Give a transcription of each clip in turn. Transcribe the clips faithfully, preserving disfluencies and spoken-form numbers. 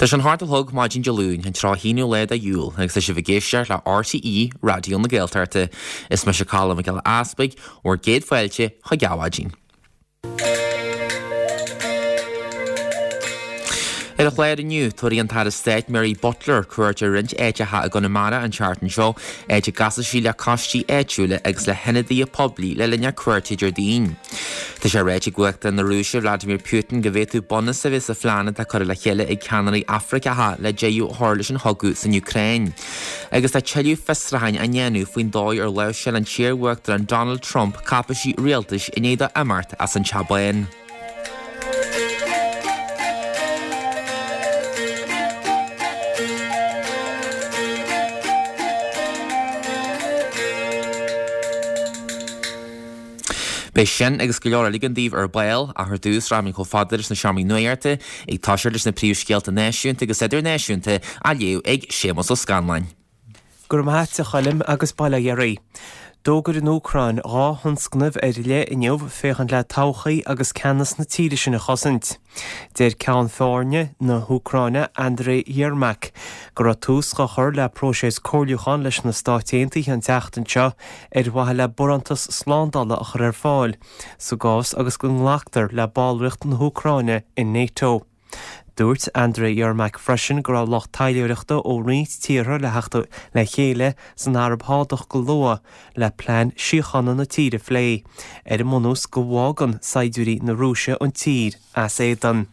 Tá sé an hocht a chlog maidin Dé Luain, an tríocha haonú lá de Iúil, agus tá sibh ag éisteacht le RTÉ Raidió na Gaeltachta. Is mise Colm Mac Giolla Easpaig, bhur gcéad fáilte chuig Adhmhaidin. Ar an chlár inniu, tabharfaidh an tAire Stáit Mary Butler cuairt ar roinnt áiteacha i gConamara an tseachtain seo, áit a gcasfaidh sí le coistí áitiúla agus le hionadaithe poiblí le linn a cuairte Déardaoin. Tá sé ráite ag Uachtarán na Rúise Vladimir Putin go bhféadfadh bunús a bheith sa phlean atá curtha le chéile ag ceannairí Afraiceacha le deireadh a chur leis an chogadh san Úcráin. Agus tá tuilleadh fiosrúcháin á ndéanamh faoin dóigh ar láimhseáil an t-iar-Uachtarán Donald Trump cáipeisí rialtais i ndiaidh dó imeacht as an Teach Bán. Beidh sin agus go leor eile againn daoibh ar ball, ach ar dtús rachaimid chomh fada leis na seomraí nuachta, ag toiseacht leis na príomhscéalta náisiúnta agus idirnáisiúnta á léamh ag Séamus Ó Scanláin. Go raibh maith agat a Choilm agus bail ó Dhia oraibh. D'fhógair an Úcráin dhá thionscnamh ar leith inniu féachaint le todhchaí agus ceannas na tíre sin a chosaint. Deir Ceann Foirne na hÚcráine Andriy Yermak go raibh tús á chur le próiseas comhairliúcháin leis na Stáit Aontaithe an tseachtain seo ar mhaithe le barántas slándála a chur ar fáil sa gcás agus go nglactar le ballraíocht na hÚcráine in NATO. Dúirt Andriy Yermak freisin go raibh lucht taidhleoireachta ó roinnt tíortha le theacht le chéile san Araib Shádach go luath le plean síochána na tíre a phlé, ar an mbunús go bhfágann saighdiúirí na Rúise an tír as éadan.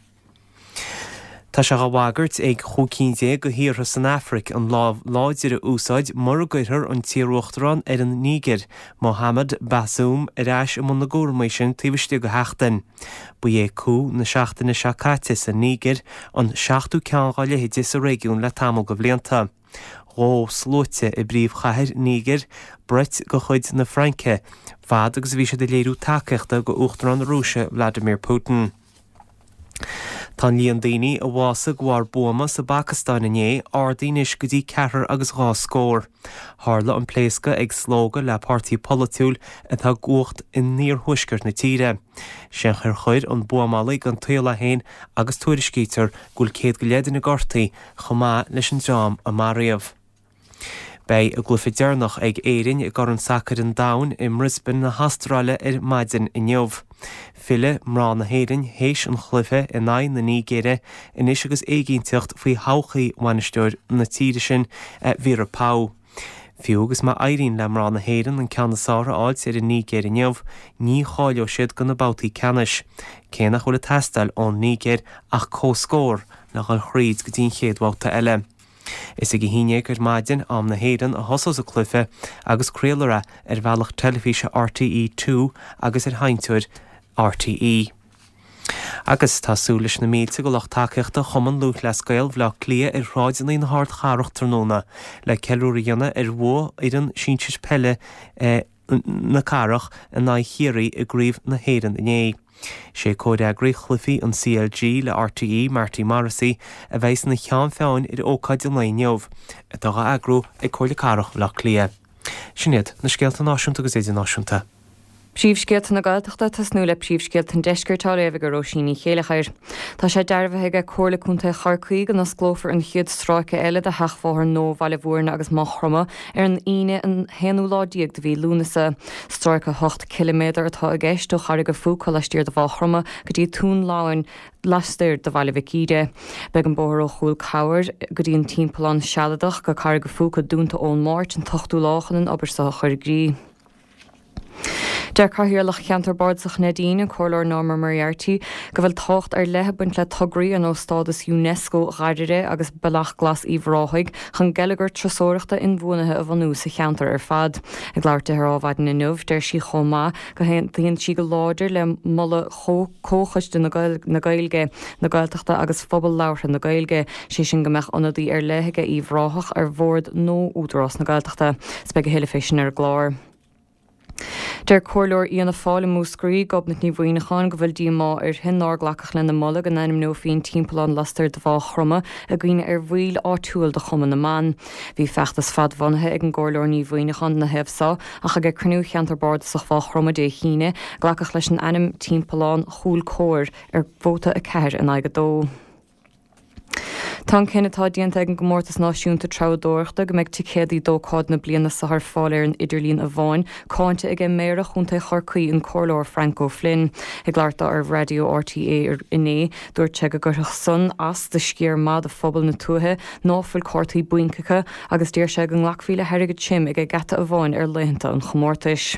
Tá sé á bhagairt ag chúig cinn déag de thíortha san Afraic an lámh láidir a úsáid mura gcuirfear an t-iaruachtarán ar an Nígir, Mohamed Bazoum, ar ais i mbun na gcúramaí sin taobh istigh de sheachtain. Ba é coup na seachtaine seo caite sa Nígir an seachtú ceann dá leithéid sa réigiún le tamall de bhlianta. Dhóigh sluaite i bpríomhchathair Nígir brait de chuid na Fraince fad agus a bhí siad ag léiriú tacaíochta do Uachtarán na Rúise Vladimir Putin. Tá an líon daoine a bhásaigh de bharr buama sa bPacastáin inné ardaithe anois go dtí ceathrar agus dhá scór. Tharla an pléascadh ag slógadh le páirtí polaitiúil atá i gcumhacht in iarthuaisceart na tíre. Sé ar chuir an buamálaí den tsaol é féin agus tuairiscítear go bhfuil céad go leith duine gortaithe chomh maith leis an dream a maraíodh. Beidh a gcluiche deireanach ag Éirinn i gCorn Sacair an Domhain i mBrisbane na hAstráile ar maidin inniu. Fillfidh mná na hÉireann théis an chluiche in aghaidh na Nigéire anois agus éiginnteacht faoi thodhchaí bhainisteoir na tíre sin, Vera Pauw. Fiú agus má éiríonn le mná na hÉireann an ceann is fearr a fháilt ar an Nigéir inniu, ní cháileoidh siad do na babhtaí ceannais, cé nach bhfuil ag teastáil ón Nigéir ach comhscór le dhul thríd go dtí an chéad bhabhta eile. Is ag a haon déag ar maidin, am na hÉireann, a thosós an cluiche agus craolfar é ar bhealach teilifíse RTÉ Two agus ar sheinnteoir RTÉ. Agus tá súil leis na mílte de lucht tacaíochta Chumann Lúthchleas Gael Bhaile Átha Cliath ar shráideanna na hardchathrach tráthnóna le ceiliúradh a dhéanamh ar bhua fhoireann sinsir peile na cathrach in aghaidh Chiarraí i gCraobh na hÉireann inné. Sé comhfhreagraí chluichí an CLG le RTÉ, Marty Morrissey, a bheidh ina cheann feadhain ar ócáid an lae inniu, atá á eagrú ag Comhairle Cathrach Bhaile Átha Cliath. Sin iad na scéalta náisiúnta agus idirnáisiúnta. Príomhscéalta na Gaeltachta tosnú le príomhscéalta an deiscirt á léamh ag Róisín Ní Chéileachair. Tá sé dearbhaithe ag Comhairle Contae Chorcaí go n-osclófar an chéad stráice eile de sheachbhóthar nua Bhaile Bhúirne agus Maigh Chromtha ar an Aoine an haonú lá déag de mhí Lúnasa. Stráice ocht ciliméadar atá i gceist ó Charraig an Phúca laistiar de Mhaigh Chromtha go dtí Tóin Loghain laistiar de Bhaile Mhic Íre. Beidh an bóthar ó Chúl Cabhair go dtí an timpeallán sealadach go Carraig an Phúca dúnta ón Máirt an t-ochtú lá chun an obair seo a chur i gcrích. Deir Cathaoirleach Cheantar Bardasach Neidín, an Comhairleoir Norma Moriarty, go bhfuil tábhacht ar leith ag baint le tograí ar nós stádas UNESCO Dháirire agus Bealach Glas Uíbh Ráthaigh chun geilleagar turasóireachta inbhuanaithe a bhunú sa cheantar ar fad. Ag labhairt di ar Adhmhaidin inniu, deir sí chomh maith go haontaíonn sí go láidir le moladh Chomhchoiste na Gaeilge, na Gaeltachta agus Phobal Labhartha na Gaeilge, sé sin go mbeadh ionadaí ar leith aige Uíbh Ráthach ar bhord nua Údarás na Gaeltachta. 'S beidh a thuilleadh fé sin ar an gclár. Deir Comhairleoir Fhianna Fáil i Múscraí, Gobnait Ní Mhuimhneacháin, go bhfuil díomá uirthi nár glacadh lena moladh go n-ainmneofaí an timpeallán lastoir de Mhaigh Chromtha i gcuimhne ar bhaill áitiúil de Chumann na mBan. Bhí feachtas fadbhunaithe ag an gComhairleoir Ní Mhuimhneacháin ina thaobh so, ach ag cruinniú Cheantar Bardasach Mhaigh Chromtha Dé hAoine, glacadh leis an ainm Timpeallán Chúil Comhair ar vóta a ceathair in aghaidh a dó. Tá an cinneadh atá déanta ag an gcomórtas náisiúnta treabhdóireachta go mbeidh ticéadaí d'ócáid na bliana seo ar fáil ar an idirlíon amháin, cáinte aige Méara Chontae Chorcaí an Comhairleoir Frank O'Flynn. Ag labhairt dó ar Raidió RTÉ inné, dúirt sé go gcuirfeadh san as do sciar maith de phobal na tuaithe ná fuil cártaí bainc acu agus d'iarr sé go nglacfaí le hairgead tirim ag an ngeata amháin ar laethanta an chomórtais.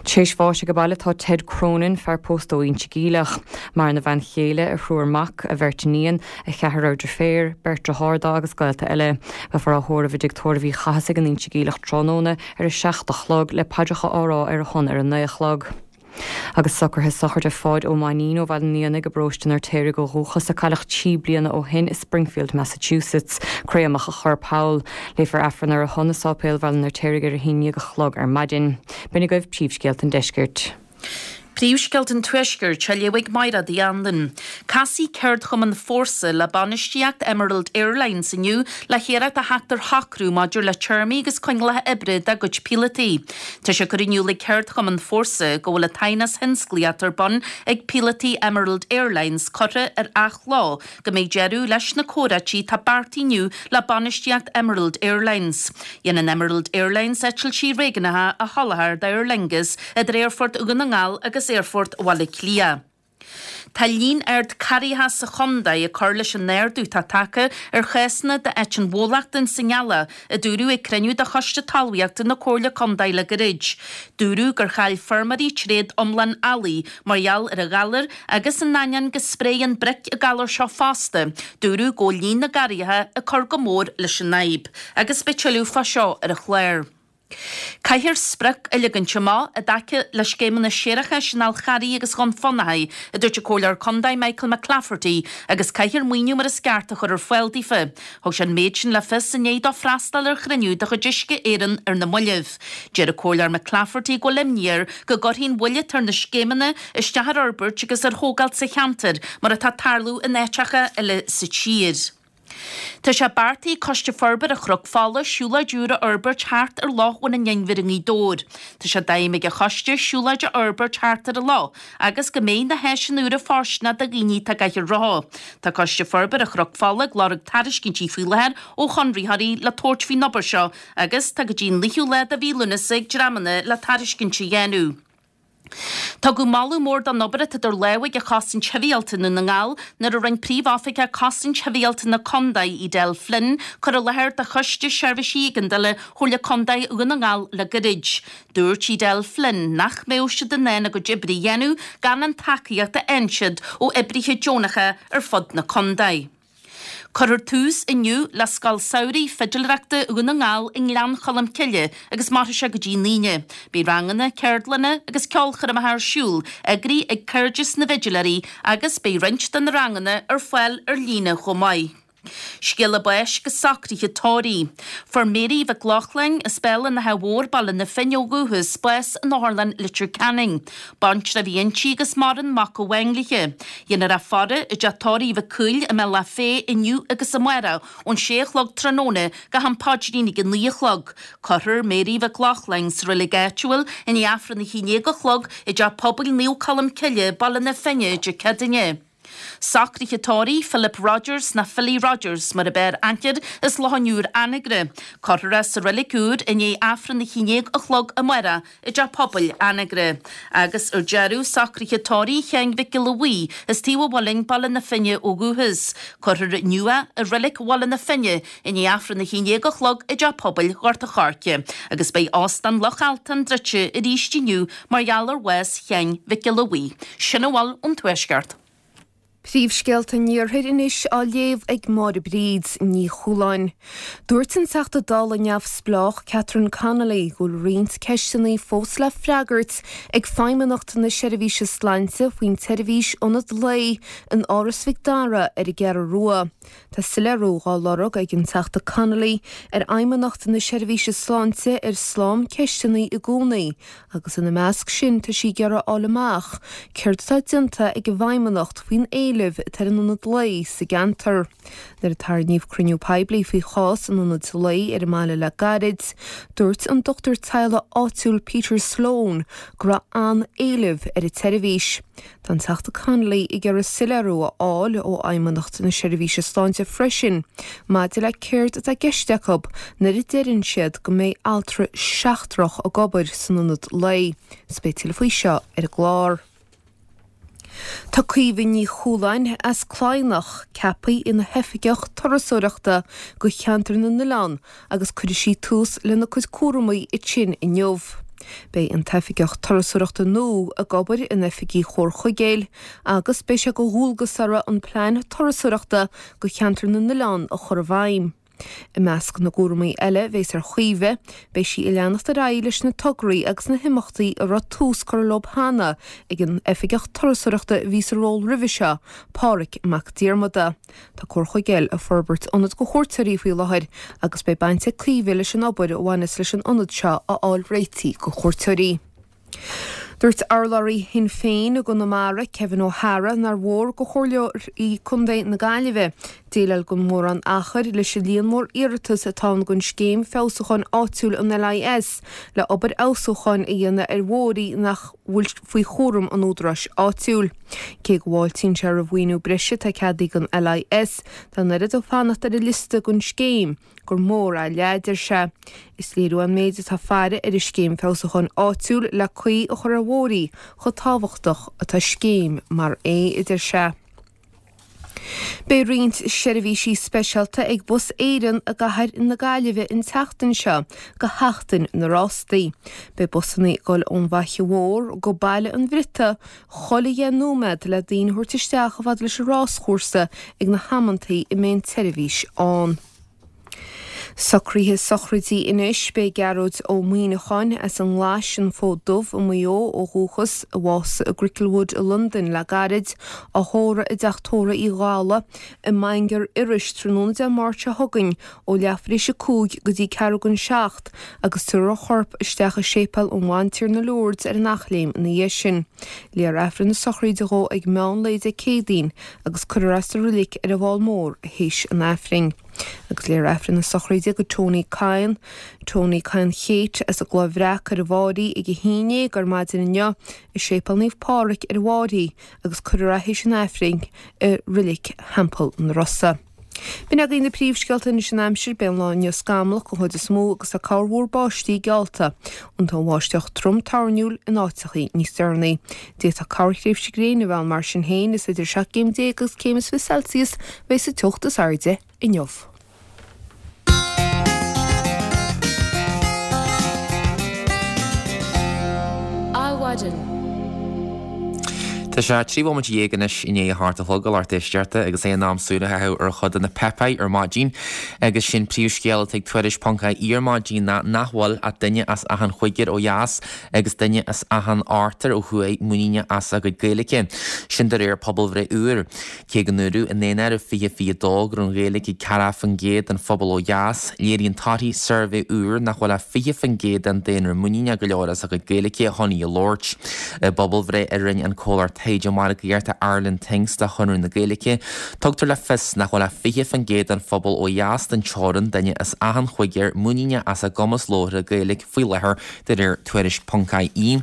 Tar éis bháis age baile tá Ted Cronin, fear pósta ó Inse Geimhleach. Maireann a bhean chéile, a thriúr mac, a bheirt iníon, a cheathrar deirféar, beirt dearthár dó agus gaolta eile. Beifear á thórramh i dtigh tórraimh Uí Chathasaigh in Inse Geimhleach tráthnóna ar a seacht a chlog le paidreacha á rá ar a shon ar a naoi a chlog. Agus socruithe sochraide Pháid Ó Mainnín ó Bhaile an Éanaigh i bparóiste an Fheirtéaraigh ó dhúchas a cailleadh trí bliana ó shin i Springfield, Massachusetts. Créamadh a chorp thall. Léifear Aifreann ar a shon i Sáipéal Bhaile an Fheirtéaraigh ar a haon déag a chlog ar maidin. B'in agaibh príomhscéalta an deiscirt. Príomhscéalta an Tuaiscirt á léamh ag Máire Uí Anluain. Casfaidh Ceardchumann Fórsa le bainistíocht Emerald Airlines inniu le hiarracht a theacht ar shocrú maidir le téarmaí agus coinníollacha oibre dá gcuid píolótaí. Tá sé curtha in iúl ag Ceardchumann Fórsa go bhfuil an t-aighneas thionsclaíoch ar bun ag píolótaí Emerald Airlines curtha ar athló go mbeidh deireadh leis na comhráití atá beartaithe inniu le bainistíocht Emerald Airlines. Dhéanann Emerald Airlines eitiltí réigiúnacha a sholáthar d'Aer Lingus idir Aerfort Dhún na nGall agus Aerfort Bhaile Átha Cliath. Tá líon ard carraithe sa chontae ag cur leis an ardú atá tagtha ar chásanna d'aiteann bhólachta sa nGealach, a dúradh ag cruinniú de Choiste Talmhaíochta na Comhairle Contae le gairid. Dúradh gur chaill feirmeoirí tréad iomlán eallaigh mar gheall ar an ghalar agus in ainneoin go spréann broic an galar seo fosta, dúradh go bhfuil líon na gcarraithe ag cur go mór leis an fhadhb. Agus beidh tuilleadh fá seo ar an chlár. Caithfear sprioc a leagaint amach i dtaca le scéimeanna séarachais in Fhál Carraigh agus Dhún Fionnachaidh, a dúirt an Comhairleoir Contae Michael McClafferty, agus caithfear maoiniú mar is ceart a chur ar fáil daofa. Thug sé an méid sin le fios i ndiaidh dó freastal ar chruinniú de chuid Uisce Éireann ar na mallaibh. Deir an Comhairleoir McClafferty go bhfuil imní air go gcuirfidh an mhoill atá ar na scéimeanna isteach ar fhorbairt agus ar thógáil sa cheantar mar atá ag tarlú in áiteacha eile sa tír. Tá sé beartaithe ag Coiste Forbartha Chnoc Fola siúlóid úr a fhorbairt thart ar Loch Bhun an Inbhir i nGaoth Dobhair. Tá sé d'aidhm ag an choiste siúlóid a fhorbairt thart ar an loch agus go mbeidh na háiseanna úra fóirsteanach do dhaoine atá ag caitheamh rotha. Tá Coiste Forbartha Chnoc Fola ag lorg tairiscintí faoi láthair ó chonraitheoirí le tabhairt faoin obair seo agus tá go dtí an naoú lá de mhí Lúnasa ag dreamanna le tairiscint a dhéanamh. Tugadh moladh mór don obair atá idir lámha ag Chosaint Shibhialta i nDún na nGall nuair a rinne Príomh-Oifigeach Cosaint Shibhialta na Condae, Edel Flynn, cur i láthair do Choiste Seirbhísí Éigeandála Chomhairle Condae Dhún na nGall le gairid. Dúirt Edel Flynn nach mbeadh siad in ann a gcuid oibre a dhéanamh gan an tacaíocht a fhaigheann siad ó oibrithe deonacha ar fud na condae. Cuirfear tús inniu le Scoil Samhraidh Fidiléireachta Dhún na nGall i nGleann Cholm Cille agus mairfidh sé go dtí an Aoine. Beidh ranganna, ceardlanna agus ceolchoirmeacha ar siúl, eagraithe ag Cairdeas na bhFidiléirí agus beidh roinnt de na ranganna ar fáil ar líne chomh maith. Scéala báis agus socruithe tórraimh. Fuair Mary Mhic Lochlainn, as Béal an Átha Mhóir, Baile na Finne ó dhúchas, bás in Otharlann Leitir Ceanainn. Baintreach a bhí inti agus maireann mac amháin léi. Déanfar í a fhaire i dteach tórraimh Mhic Cumhaill i mBealach Féich inniu agus amárach ón sé a chlog tráthnóna go ham paidrín ag a naoi a chlog. Cuirfear Mary Mhic Lochlainn sa reilig áitiúil i ndiaidh Aifreann a haon déag a chlog i dTeach Pobail Naomh Colm Cille, Baile na Finne, Dé Céadaoine. Socruithe tórraimh Philip Rogers nó Philly Rogers mar ab fhearr aithne air as Loch an Iúir Anagaire. Cuirfear é sa reilig úr i ndiaidh Aifreann a haon déag a chlog amárach i dTeach Pobail Anagaire. Agus ar deireadh, socruithe tórraimh Sheáin Mhic Giolla Bhuí as Taobh an Mhuilinn, Baile na Finne ó dhúchas. Cuirfear inniu é i reilig Bhaile na Finne i ndiaidh Aifreann a haon déag a chlog i dTeach Pobail Ghort an Choirce. Agus beidh Óstán Loch Altan druidte arís inniu mar gheall ar bhás Sheáin Mhic Giolla Bhuí. Sin a bhfuil ón Tuaisceart. Príomhscéalta an Iarthair anois á léamh ag Máire Bríd Ní Chualáin. Dúirt an Teachta Dála neamhspleách Catherine Connolly go bhfuil roinnt ceisteanna fós le freagairt ag Feidhmeannacht na Seirbhíse Sláinte faoin tseirbhís ionad lae in Áras Mhic Dara ar an gCeathrú Rua. Tá soiléiriú á lorg ag an Teachta Connolly ar Fheidhmeannacht na Seirbhíse Sláinte ar slám ceisteanna i gcónaí agus ina measc sin tá sí ag iarraidh a fháil amach céard atá déanta ag an bhFeidhmeannacht faoin éileamh éileamh atá ar an ionad lae sa gceantar. Nuair a tarraingíodh cruinniú poiblí faoi chás an ionaid lae ar an mbaile le gairid, dúirt an dochtúir teaghlaigh áitiúil Peter Sloan go raibh an-éileamh ar an tseirbhís. Tá an Teachta Connolly ag iarraidh soiléiriú a fháil ó Fheidhmeannacht na Seirbhíse Sláinte freisin maidir le céard atá i gceist acu nuair a deireann siad go mbeidh altra seachtrach ag obair san ionad lae. Is beidh tuilleadh faoi seo ar an gclár. Tá Caoimhe Ní Chualáin as Cladhnach ceaptha ina hoifigeach turasóireachta go Cheantar na nOileán agus cuirfidh sí tús lena cuid cúramaí ansin inniu. Beidh an t-oifigeach turasóireachta nua ag obair in oifigí Chomhar Chuigéil agus beidh sé de dhualgas uirthi an plean turasóireachta go Cheantar na nOileán a chur i bhfeidhm. I measc na gcúramaí eile a bheas ar Chaoimhe, beidh sí ag leanacht ar aghaidh leis na tograí agus na himeachtaí a raibh tús curtha leo cheana ag an Oifigeach Turasóireachta a bhí sa ról roimhe seo, Pádraig Mac Diarmada. Tá Comhar Chuigéil ag forbairt ionad go chuairteoirí faoi láthair agus beidh baint ag Caoimhe leis an obair a bhaineas leis an ionad seo a fháil réitithe go chuairteoirí. Dúirt urlabhraí Shinn Féin i gConamara, Kevin O'Hara, nár mhór go Chomhairleoirí Contae na Gaillimhe déileáil gan mórán achair leis an líon mór iarratas atá ann don Scéim Feabhsúcháin Áitiúil an LIS le obair fheabhsúcháin a dhéanamh ar bhóithrí nach bhfuil faoi chúram an údaráis áitiúil. Cé go bhfáiltíonn sé roimh mhaoiniú breise atá ceadaithe don LIS, tá an oiread ag fanacht ar an liosta don scéim gur mór é leá, a deir sé. Is léiriú an méid atá faire ar an Scéim Feabhsúcháin Áitiúil le caoi a chur ar bhóithrí chomh tábhachtach atá scéim mar é, a deir sé. Beidh roinnt seirbhísí speisialta ag Bus Éireann i gcathair na Gaillimhe an tseachtain seo go Sheachtain na Rástaí. Beidh busanna ag dul ón bhFaiche Mhór go Baile an Bhriotaigh chuile dheich nóiméad le daoine a thabhairt isteach chomh fada leis an ráschúrsa ag na hamantaí a mbeidh an tseirbhís ann. Socruithe sochraidí anois, Beidh Gearóid Ó Muíneacháin as an nGlais, an Fód Dubh i Maigh Eo ó dhúchas, a bhásaigh i gCricklewood i Londain le gairid, á thórramh i dTeach Tórraimh Uí Dhálaigh i mBaingear Iorrais tráthnóna Dé Máirt seo chugainn ó leathuair tar éis a cúig go dtí ceathrú don seacht agus tabharfar a chorp isteach i Séipéal an Bhantiarna Lourdes ar an Eachléim ina dhiaidh sin. Léifear Aifreann na sochraide dhó ag meán lae Dé Céadaoin agus cuirfear é sa reilig ar an bhFál Mór théis an Aifrinn. Agus léifear Aifreann na sochraide do Tony Kyne, Tony Kyne Kate, as an gCloich Bhreac ar an bhFáirí ag a haon déag ar maidin inniu i Séipéal Naomh Pádraig ar an bhFáirí agus cuirfear é théis an Aifrinn i Reilig Theampall na Rosa. B'in agaibh na príomhscéalta anois an aimsir, beidh an lá inniu scamallach den chuid is mó agus tá corrmhúr báistí geallta. An bháisteach trom toirniúil in áiteachaí níos deireanaí. D'fhéadfadh corrthréimhse gréine a bheith ann mar sin féin, is idir seacht gcéim déag agus céim is fiche Celsius a bheidh sa teocht is airde inniu. Adhmhaidin. Tá sé trí bhomaite dhéag anois i ndiaidh a hocht a chlog, a lucht éisteachta, agus é in am súil a chaitheamh ar chuid de na páipéir ar maidin. Agus sé'n príomhscéal atá ag Tuairisc ponc ie ar maidin ná nach bhfuil ach duine as achan chúigear ó dheas agus duine as achan ochtar ó thuaidh muiníneach as a gcuid Gaeilge. Sin de réir pobalbhreith úr. Cé go ndúradh i nDaonáireamh fiche fiche dó go raibh an Ghaeilge ag ceathracha faoin gcéad den phobal ó dheas, léiríonn torthaí suirbhé úr nach bhfuil ach fiche faoin gcéad den daonra muiníneach go leor as a gcuid Gaeilge chun í a labhairt. I bpobalbhreith a rinne an comhlacht taighde margaíochta Ireland Thinks do Chonradh na Gaeilge, tugtar le fios nach bhfuil ach fiche faoin gcéad den phobal ó dheas den teorainn, duine as achan chúigear, muiníneach as a gcumas labhartha Gaeilge faoi láthair, de réir Tuairisc ponc ie.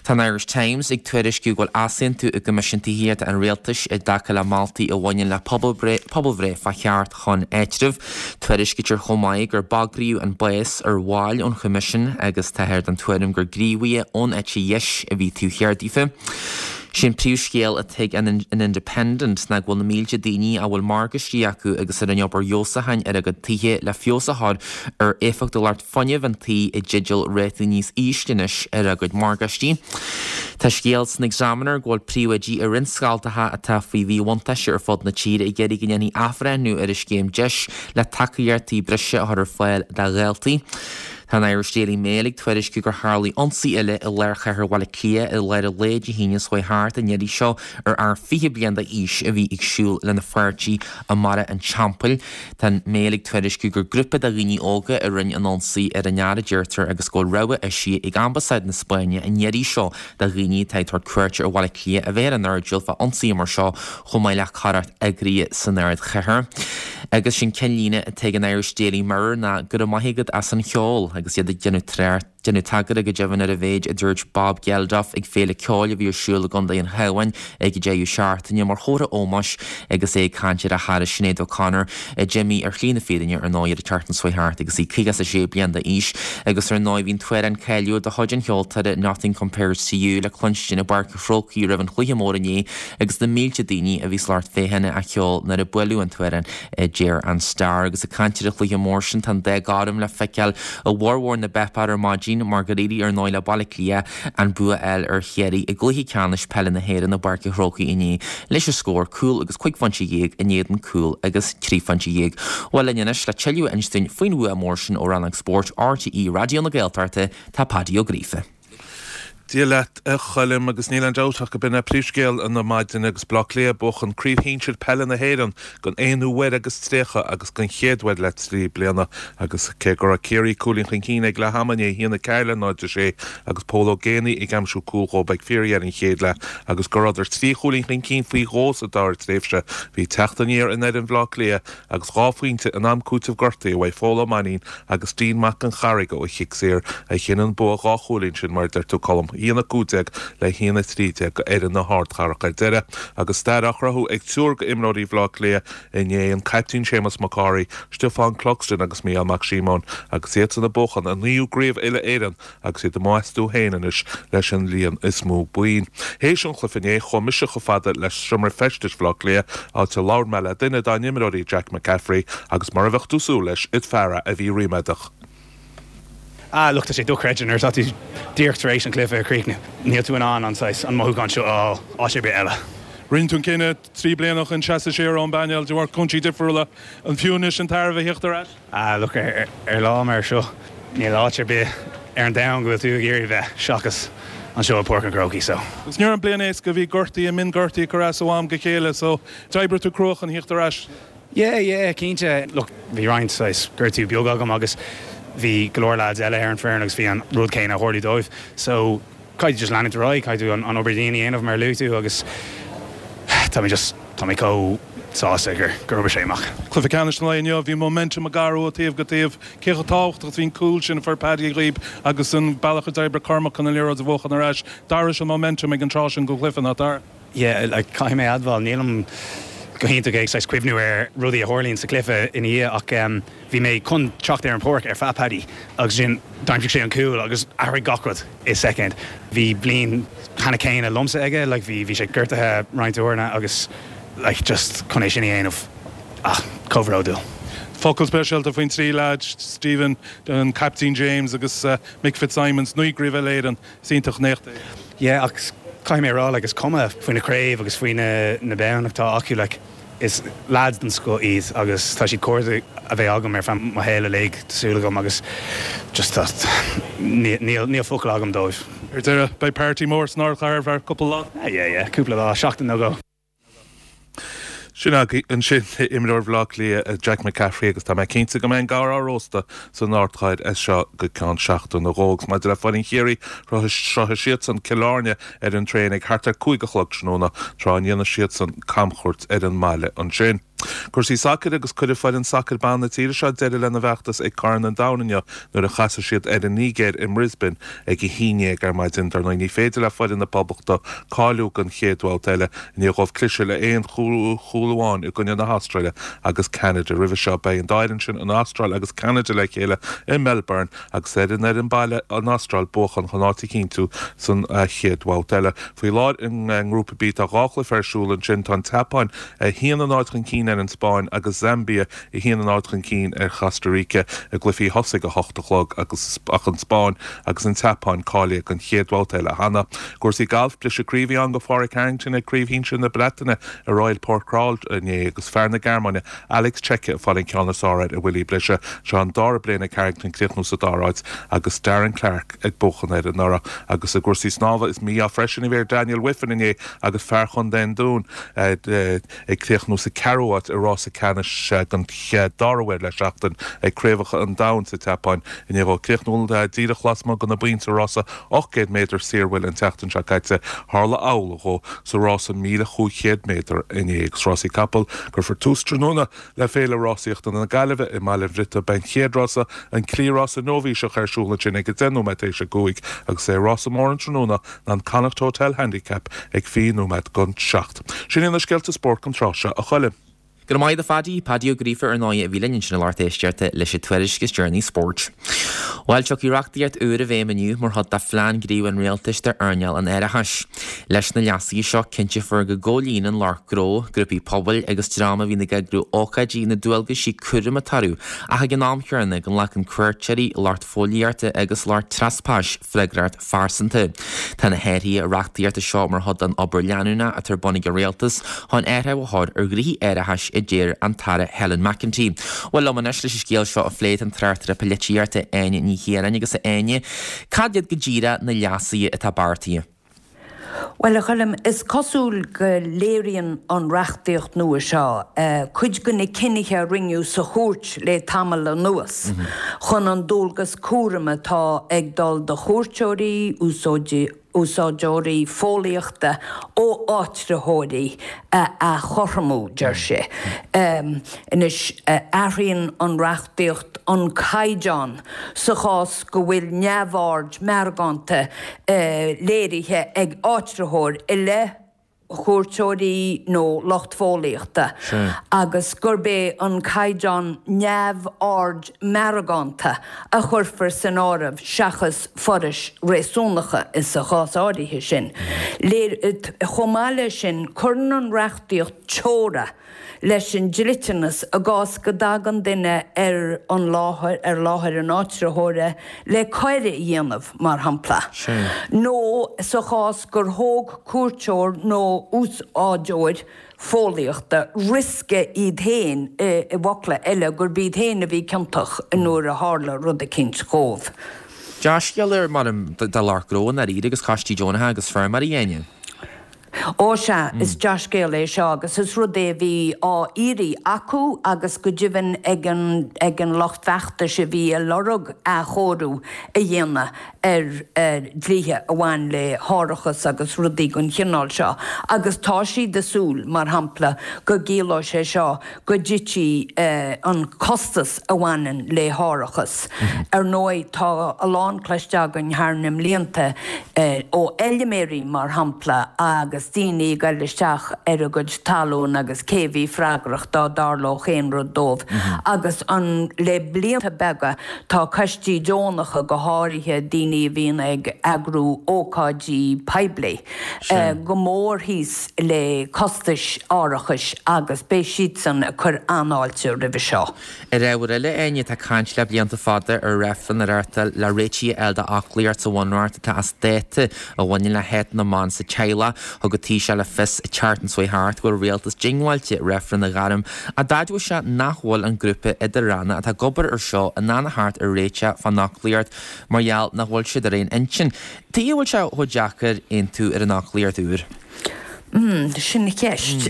Tá an Irish Times ag tuairisciú go bhfuil easaontú i gCoimisiún Tithíochta an Rialtais i dtaca le moltaí a bhaineann le pobalbhreith fá cheart chun áitribh. Tuairiscítear chomh maith gur bagraíodh an bás ar bhaill ón Choimisiún agus táthar den tuairim gur gníomhaithe ón eite dheis a bhí taobh thiar daofa. Sé'n príomhscéal atá ag an Independent ná go bhfuil na mílte daoine a bhfuil morgáistí acu agus a rinne obair fheabhsúcháin ar a gcuid tithe le feabhas a chur ar éifeachtúlacht fuinnimh an tí i dteideal rátaí níos ísle anois ar a gcuid morgáistí. Tá scéal san Examiner go bhfuil príomhoidí i roinnt scoltacha atá faoi mhíbhuntáiste ar fud na tíre ag iarraidh go ndéanfaí athbhreithniú ar an scéim deis le tacaíochtaí breise a chur ar fáil do dhaltaí. Tá an Irish Daily Mail ag tuairisciú gur tharla ionsaí eile i lár chathair Bhaile Átha Cliath i lár an lae Dé hAoine seo thart an iarraidh seo ar fhear fiche bliain d'aois a bhí ag siúl lena pháirtí i mBarra an Teampaill. Tá an Mail ag tuairisciú gur grúpa de dhaoine óga a rinne an ionsaí ar an fhear a deirtear agus go bhfuil rabhadh eisithe ag Ambasáid na Spáinne an iarraidh seo do dhaoine atá ag tabhairt cuairte ar Bhaile Átha Cliath a bheith ar an airdeall fá ionsaithe mar seo chomh maith le coireacht eagraithe san ardchathair. Agus sin ceannlíne atá ag an Irish Daily Mirror ná go raibh maith agat as an cheol agus iad ag déanamh trácht déanamh tagairt go deimhin ar an mhéid a dúirt Bob Geldof ag féile ceoil a bhí ar siúl i gContae an Chabháin ag an deireadh seachtaine mar chomhartha ómóis agus é ag caint ar a chara Sinéad O'Connor a d'imigh ar shlí na fírinne ar ndóigh ar an tseachtain seo thart agus í caoga a sé bliain d'aois agus ar ndóigh bhí an t-amhrán cáiliúil de chuid an cheoltóra Nothing Compares to You le cluinstin i bPáirc an Chrócaigh roimh an chluiche mór inné agus na mílte daoine a bhí sa lucht féachana á cheol nuair a buaileadh an t-amhrán deir an Star agus ag caint ar an chluiche mór sin tá an dath gorm le feiceáil i bhformhór na bpáipéar ar maidin mar gur éirigh ar ndóigh le Baile Átha Cliath an bua a fháil ar Chiarraí i gcluiche ceannais peile na hÉireann i bPáirc an Chrócaigh inné leis an scór cúl agus cúig phointe dhéag in éadan cúl agus trí phointe dhéag. Bhuel linn anois le tuilleadh a insint dúinn faoin bhua mór sin ó Rannóg Spóirt RTÉ Raidió na Gaeltachta tá Paddy Ó Gríofa. Dia leat a Choilm agus níl aon dabht ach gurb in é príomhscéal na maidine agus Bleá Cliath ag buachan craobh shinsir peile na hÉireann don aonú huair agus tríocha agus don chéad uair le trí bliana agus cé go raibh Ciarraí cúilín chun cinn ag leath ama inné a haon a ceathair le náid a sé agus Pól Ó Géibheannaigh ag aimsiú cúl dhóibh ag fíordheireadh an chéad leath agus go rabhadar trí chúilín chun cinn faoi dhó sa dara tréimhse bhí teacht aniar in fhoireann Bhleá Cliath agus dhá phointe in am cúitimh gortaithe uaidh Phól Ó Mainnín agus Dean Mac an Charraig ó chic saor a chinn an bua dhá chúilín sin mar a deir tú Colm. haon a cúig déag le haon a trí déag go fhoireann na hardchathrach ar deireadh, agus stair á chruthú ag triúr d'imreoirí Bhaile Átha Cliath inné, an caiptín Séamus Mac Cárthaigh, Stiofán Cluxton agus Mícheál Mac Síomóin, agus iadsan ag buachan a naoú gcraobh uile-Éireann agus iad amuigh astu féin anois leis an líon is mó boinn. Théis an chluiche inné, chuaigh mise chomh fada le seomra feistis Bhaile Átha Cliath, áit a labhair mé le duine dá n-imreoirí, Jack McCaffrey, agus mar a bheadh tú ag súil leis, is fear é a bhí ríméadach. Ah, look, tá sé dochreidte nuair atá tú díreach tar éis an cluiche a chríochnú. Níl tú in ann an saghas, an mothúchán seo a fháil áit ar bith eile. Rinne tú an cinneadh trí bliana ó shin seasamh siar ón bpainéal de bharr cúinsí difriúla. An fiú anois an tairbhe a theacht ar ais? Ah, look, ar, ar lá mar seo, níl áit ar bith ar an domhan go bhfuil tú ag iarraidh bheith seachas anseo i Páirc an Chrócaigh, so. Agus ní raibh an bliain éasca, bhí gortaí, mionghortaí ag cur as ó am go chéile, so d'oibrigh tú crua chun theacht ar ais. Yeah, yeah, cinnte. Look, bhí roinnt saghas gortú beag agam agus bhí go leor lads eile ar an foireann agus bhí an rud céanna ag tarlú dóibh. So, caithfidh tú just leanúint ar aghaidh, caithfidh tú an, an obair dian a dhéanamh mar a luaigh tú agus tá mé just, tá mé chomh sásta gur, gur oibrigh sé amach. Cluiche ceannais an lae inniu, bhí momentum ag athrú ó taobh go taobh. Cé chomh tábhachtach is a bhí an cúl sin a fuair Paddy dhaoib agus an bealach a d'oibrigh Cormac chun an liathróid a bhuachan ar ais. D'athraigh an momentum ag an tráth sin den chluiche, nach dtar? Yeah, like, caithfidh mé admháil, nílim go hiontach ag saghas cuimhniú ar rudaí a tharlaíonn sa chluiche ina dhiaidh ach um, bhí mé chun teacht ar an pháirc ar feadh Paddy agus sin d'aimsigh sé an cúl agus athraigh gach rud i soicind. Bhí bliain cheana céanna liomsa aige, like, bhí bhí sé gortaithe roinnt uaireanta agus like, just chun é sin a dhéanamh ach comhbhródúil. Focal speisialta faoin trí leaid, Stephen, an Captain James agus uh, Mick Fitzsimons, naoi gcraobh Éireann, is iontach an éacht é. Yeah, ach caithfidh mé a rá like, is cuma faoi na craobh agus faoi na, na boinn atá acu like, is lads den scoth iad agus tá siad cairde a bheidh agam ar feadh mo shaol uilig tá súil agam agus just tá níl níl focal agam dóibh. Ar deireadh, beidh party mór san ardchathair ar cúpla lá. Ah, yeah, yeah, cúpla lá, seachtain nó dhó. Sin agaibh ansin imreoir Bhaile Átha Cliath Jack McCaffrey agus tá mé cinnte go mbeidh an gabhar á róstadh san ardchathair as seo go ceann seachtain nó dhó agus maidir le foireann Chiarraí shroichfidh siadsan Cill Airne ar an traein ag thart ar cúig a chlog tráthnóna tráth a ndéanfaidh siadsan camchuairt ar an mbaile ansin. Cúrsaí sacair agus cuirfidh foireann sacair ban na tíre seo deireadh lena bhfeachtas ag Corn an Domhain inniu nuair a chasfaidh siad ar an Nigéir i mBrisbane ag a haon déag ar maidin. Dar ndóigh ní féidir le foireann na Poblachta cáiliú don chéad bhabhta eile i ndiaidh dóibh cliseadh le aon chúl amháin i gcoinne na hAstráile agus Ceanada. Roimhe seo beidh an dá fhoireann sin an Astráil agus Ceanada le chéile i Melbourne agus ar an ar an baile an Astráil buachan chun áit a chinntiú san chéad bhabhta eile. Faoi láthair i ngrúpa B tá dhá chluiche ar siúl ansin tá an tSeapáin a haon a náid chun cinn ar an Spáinn agus Zambia a haon a náid chun cinn ar Chosta Rica i gcluichí thosaigh a hocht a chlog agus ach an Spáinn agus an tSeapáin cáilithe don chéad bhabhta eile cheana. Cúrsaí gailf briseadh croí a bhí ann do Phádraig Harrington ag Craobh Shinsir na Breataine i Royal Porthcawl inné agus fear na Gearmáine Alex Cejka ag fáil an ceann is fearr ar Willie Blisha. Seo an dara bliain ag Harrington críochnú sa dara háit agus Darren Clarke ag buachan air anuraidh agus i gcúrsaí snámha is mí-ádh freisin a bhí ar Daniel Wiffen inné agus fear Chontae an Dúin ag críochnú sa ceathrú háit i rása ceannais den dara huair le seachtain ag Craobhacha an Domhain sa tSeapáin inné dhó críochnú díreach lasmuigh de na pointí sa rása ocht gcéad méadar saormhil an tseachtain seo caite. Tharla amhlaidh dhó sa rása míle chúig chéad méadar inné agus rásaí capall cuirfear tús tráthnóna le Féile Rásaíochta na Gaillimhe i mBaile an Bhriotaigh. Beidh an chéad rása, an Cliathrás Nóibhíseach ar siúl ansin ag a deich nóiméad théis a cúig agus é rása mór an tráthnóna ná an Connacht Hotel Handicap ag fiche nóiméad don seacht. Sin iad na scéalta spóirt an tráth seo, a Choilm. Go raibh maith agat a Phaddy, Paddy Ó Gríofa ar ndóigh a bhí linn ansin a lucht éisteachta leis an tuairisc is deireanaí spóirt. Bhuel, tiocfaidh reachtaíocht úr i bhfeidhm inniu mar chuid de phlean gníomh an rialtais d'earnáil an árachais. Leis na leasuithe seo cinnteofar go gcomhlíonann lucht gnó, grúpaí pobail agus dream a bhíonn ag eagrú ócáidí na dualgaisí cúraim atá orthu ach ag an am chéanna go nglacann cuairteoirí, lucht fóillíochta agus lucht treaspais freagracht phearsanta. Tá na hathruithe reachtaíochta seo mar chuid den obair leanúnach atá ar bun ag an rialtas chun athrú a chur ar ghnoithí árachais a deir an tAire Helen McEntee. Bhuel liom anois leis an scéal seo a phlé tá an tráchtaire polaitíochta Áine Ní Chiaráin agus a Áine, cad iad go díreach na leasuithe atá beartaithe? Bhuel, a Choilm, is cosúil go léiríonn an reachtaíocht nua seo cuid de na cinnithe a rinneadh sa chúirt le tamall anuas chun an dualgas cúraim atá ag dul do chuairteoirí, úsáideoirí fóillíochta ó áitritheoirí a athchothromú, deir sé. Anois, athraíonn an reachtaíocht an caighdeán sa chás go bhfuil neamhaird meargánta léirithe ag áitritheoir i leith chuairteoirí nó lucht fóillíochta agus gurb é an caighdeán neamhaird meargánta a chuirfear san áireamh seachas forais réasúnacha sa chás áirithe sin. Chomh maith leis sin, cuireann an reachtaíocht teora leis an dliteanas i gcás go dtagann duine ar an láthair, ar láthair an áitritheora le coir a dhéanamh, mar shampla, nó sa chás gur thóg cuairteoir nó úsáideoir fóillíochta riosca iad féin, i bhfocla eile, gurb iad féin a bhí ciontach nuair a tharla rud eicínt dhóibh. Dea-scéal é, measaim, do lucht gnó i ndáiríre agus coistí deonacha agus feirmeoirí, a Áine. Ó sea, is dea-scéal é seo agus is rud é a bhí á iarraidh acu agus go deimhin ag an ag an lucht feachtais a bhí ag lorg athchóiriú a dhéanamh ar dhlíthe a bhain le hárachas agus rudaí den chineál seo agus tá siad ag súil, mar shampla, go gciallóidh sé seo go dtitfidh an costas a bhaineann le hárachas. Ar ndóigh, tá a lán cloiste againn thar na mblianta ó fheilméaraí, mar shampla, agus daoine ag dul isteach ar a gcuid talún agus cé a bhí freagrach dá dtarlódh aon rud dóibh. Agus an le blianta beaga tá coistí deonacha, go háirithe daoine a bhíonn ag eagrú ócáidí poiblí, go mór thíos le costais árachais agus beidh siadsan ag cur an-fháilte roimhe seo. Ar ábhar eile, Áine, tá caint le blianta fada ar reifreann a reáchtáil le réitigh a fháil d'fhoclaíocht sa Bhunreacht atá as dáta a bhaineann le háit na mban sa teaghlach. Thug an Taoiseach le fios an tseachtain seo thart go bhfuil an rialtas diongbháilte reifreann a ghairm ach d'admhaigh sé nach bhfuil an grúpa idir-ranna atá ag obair ar seo in ann a theacht ar réiteach fán fhoclaíocht mar gheall nach bhfuil siad ar aon intinn. Tuige a bhfuil sé chomh deacair aontú ar an fhoclaíocht úr? Mm, sin an cheist.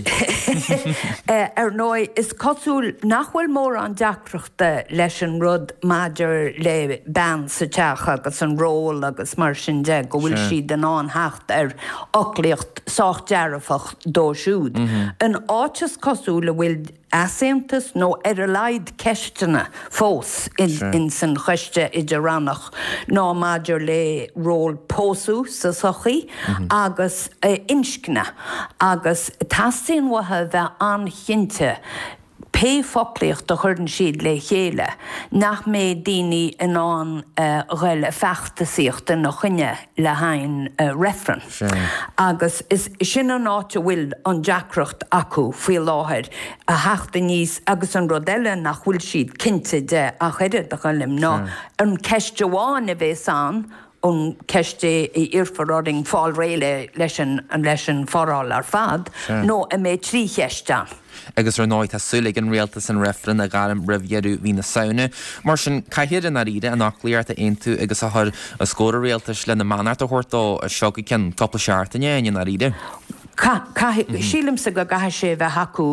Ar ndóigh, is cosúil nach bhfuil mórán deacrachta leis an rud maidir le bean sa teach agus an ról agus mar sin de, go bhfuil siad in ann theacht ar fhoclaíocht sách dearfach dó siúd. An áit is cosúil a bhfuil easaontas nó ar a laghad ceisteanna fós ins an Choiste Idir-Rannach ná maidir le ról pósadh sa tsochaí agus inscne agus teastaíonn uathu a bheith an-chinnte pé pé foclaíocht a chuireann siad le chéile, nach mbeidh daoine in ann dhul ag feachtasaíocht ina choinne le haghaidh reifreann. Agus is sin an áit a bhfuil an deacracht acu faoi láthair, a theacht aníos agus an rud eile nach bhfuil siad cinnte de ach oiread, a Choilm, ná an ceist amháin a bheas ann, an ceist é a iarrfar orainn fáil réidh leis an leis an foráil ar fad, nó an mbeidh trí cheist ann. Agus ar ndóigh tá súil ag an rialtas an reifreann a ghairm roimh dheireadh mhí na Samhna. Mar sin, caithfear i ndáiríre an fhoclaíocht a aontú agus a chur os comhair an rialtais lena mbeannacht a thabhairt dó seo go ceann cúpla seachtaine i ndáiríre. Caithfidh, sílimse go gcaithfidh sé a bheith acu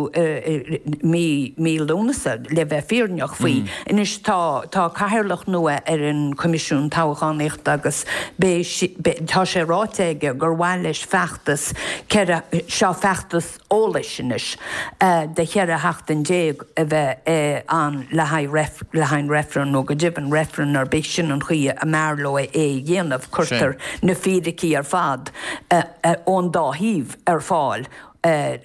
mí, mí Lúnasa le bheith fírinneach faoi. Anois tá, tá cathaoirleach nua ar an Choimisiún Toghchánaíochta agus beidh, beidh, tá sé ráite aige gur mhaith leis feachtas ceithre, seo feachtas eolais anois, de cheithre sheachtain déag a bheith ann le haghaidh, le haghaidh an reifreann nó go deimhin reifreann ar bith, sin an chaoi a mb'fhearr leo é a dhéanamh, cuirtear na fíricí ar fad ón dá thaobh ar fáil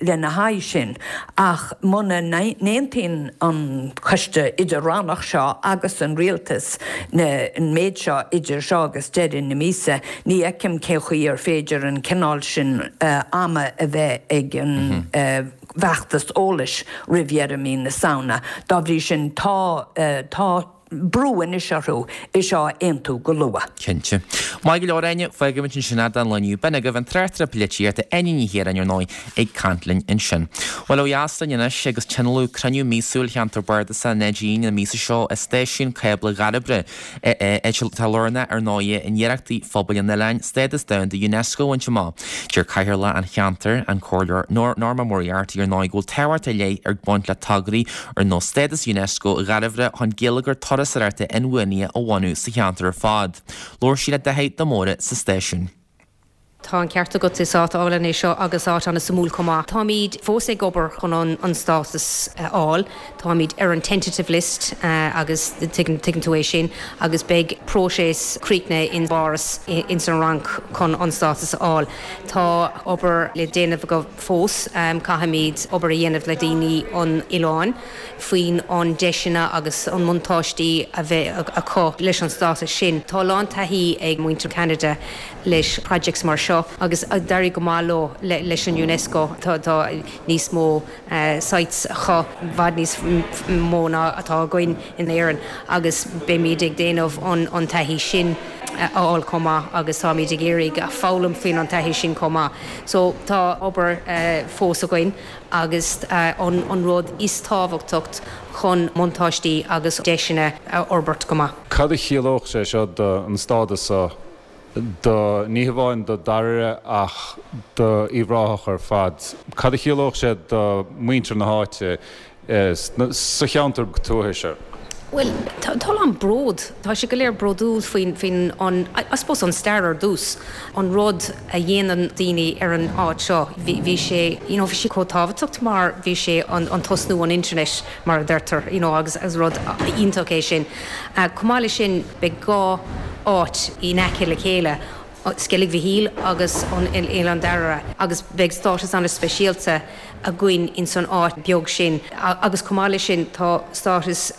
lena haghaidh sin. Ach muna n-aontaíonn an Coiste Idir-Rannach seo agus an Rialtas an méid seo idir seo agus deireadh na míosa, ní fheicim cén chaoi ar féidir an cineál sin ama a bheith ag an bhfeachtas eolais roimh dheireadh mí na Samhna. Dá bhrí sin, tá, tá. brú anois orthu é seo a aontú go luath. Cinnte. Maith go leor, Áine, fágfaimid ansin é don lá inniu. B'in agaibh an tráchtaire polaitíochta Áine Ní Chiaráin, ar ndóigh, ag caint linn ansin. Bhuel, ó dheas linn anois agus tionóladh cruinniú míosúil Cheantar Bardasach Neidín an míosa seo i Stáisiún Cábla Dhairbhre, áit atá lárnach, ar ndóigh, in iarrachtaí phobail an oileáin stádas domhanda Unesco a bhaint amach. Deir Cathaoirleach an cheantair, an Comhairleoir Norma Moriarty, ar ndóigh, go bhfuil tábhacht ar leith ag baint le tograí ar nós stádas Unesco Dhairbhre chun geilleagar turasóireachta inbhuanaithe a bhunú sa cheantar ar fad. Labhair sí le Daithí de Mórdha sa stáisiún. Tá an ceart agat, is áit álainn é seo agus áit an-suimiúil chomh maith. Táimid fós ag obair chun an stádas a fháil. Táimid ar an tentative list agus tuigeann tú é sin agus beidh próiseas críochnaithe in bPáras ins an Fhrainc chun an stádas a fháil. Tá obair le déanamh againn fós. Caithfimid obair a dhéanamh le daoine an oileáin faoin an deiseanna agus an mbuntáistí a bheidh acu leis an stádas sin. Tá a lán taithí ag muintir Ceanada leis projects mar seo agus d'éirigh go maith leo leis an Unesco. Tá níos mó sites acu, i bhfad níos mó ná atá againn in Éirinn agus beimid ag déanamh an taithí sin a fháil chomh maith agus táimid ag iarraidh foghlaim faoin an taithí sin chomh maith. So tá obair fós againn agus an rud is tábhachtacht chun buntáistí agus deiseanna a fhorbairt go maith. Cad a chiallódh sé seo don stádas seo do, ní hamháin do Dairbhre ach do Uíbh Ráthach ar fad? Cad a chiallódh sé do mhuintir na háite sa cheantar tuaithe seo? Bhuel, tá a lán bród, tá siad go léir bródúil faoin, faoin an, I suppose an stair ar dtús, an rud a dhéanann daoine ar an áit seo. Bhí, bhí sé, you know, bhí sé chomh tábhachtach mar bhí sé an, an tosnú an internet mar a deirtear, you know, agus is rud iontach é sin. Chomh maith leis sin, beidh dhá áit in aice le chéile, Sceilg Mhichíl agus an Oileán Dairbhre, agus beidh stádas an-speisialta againn ins an áit beag sin. Agus chomh maith leis sin tá stádas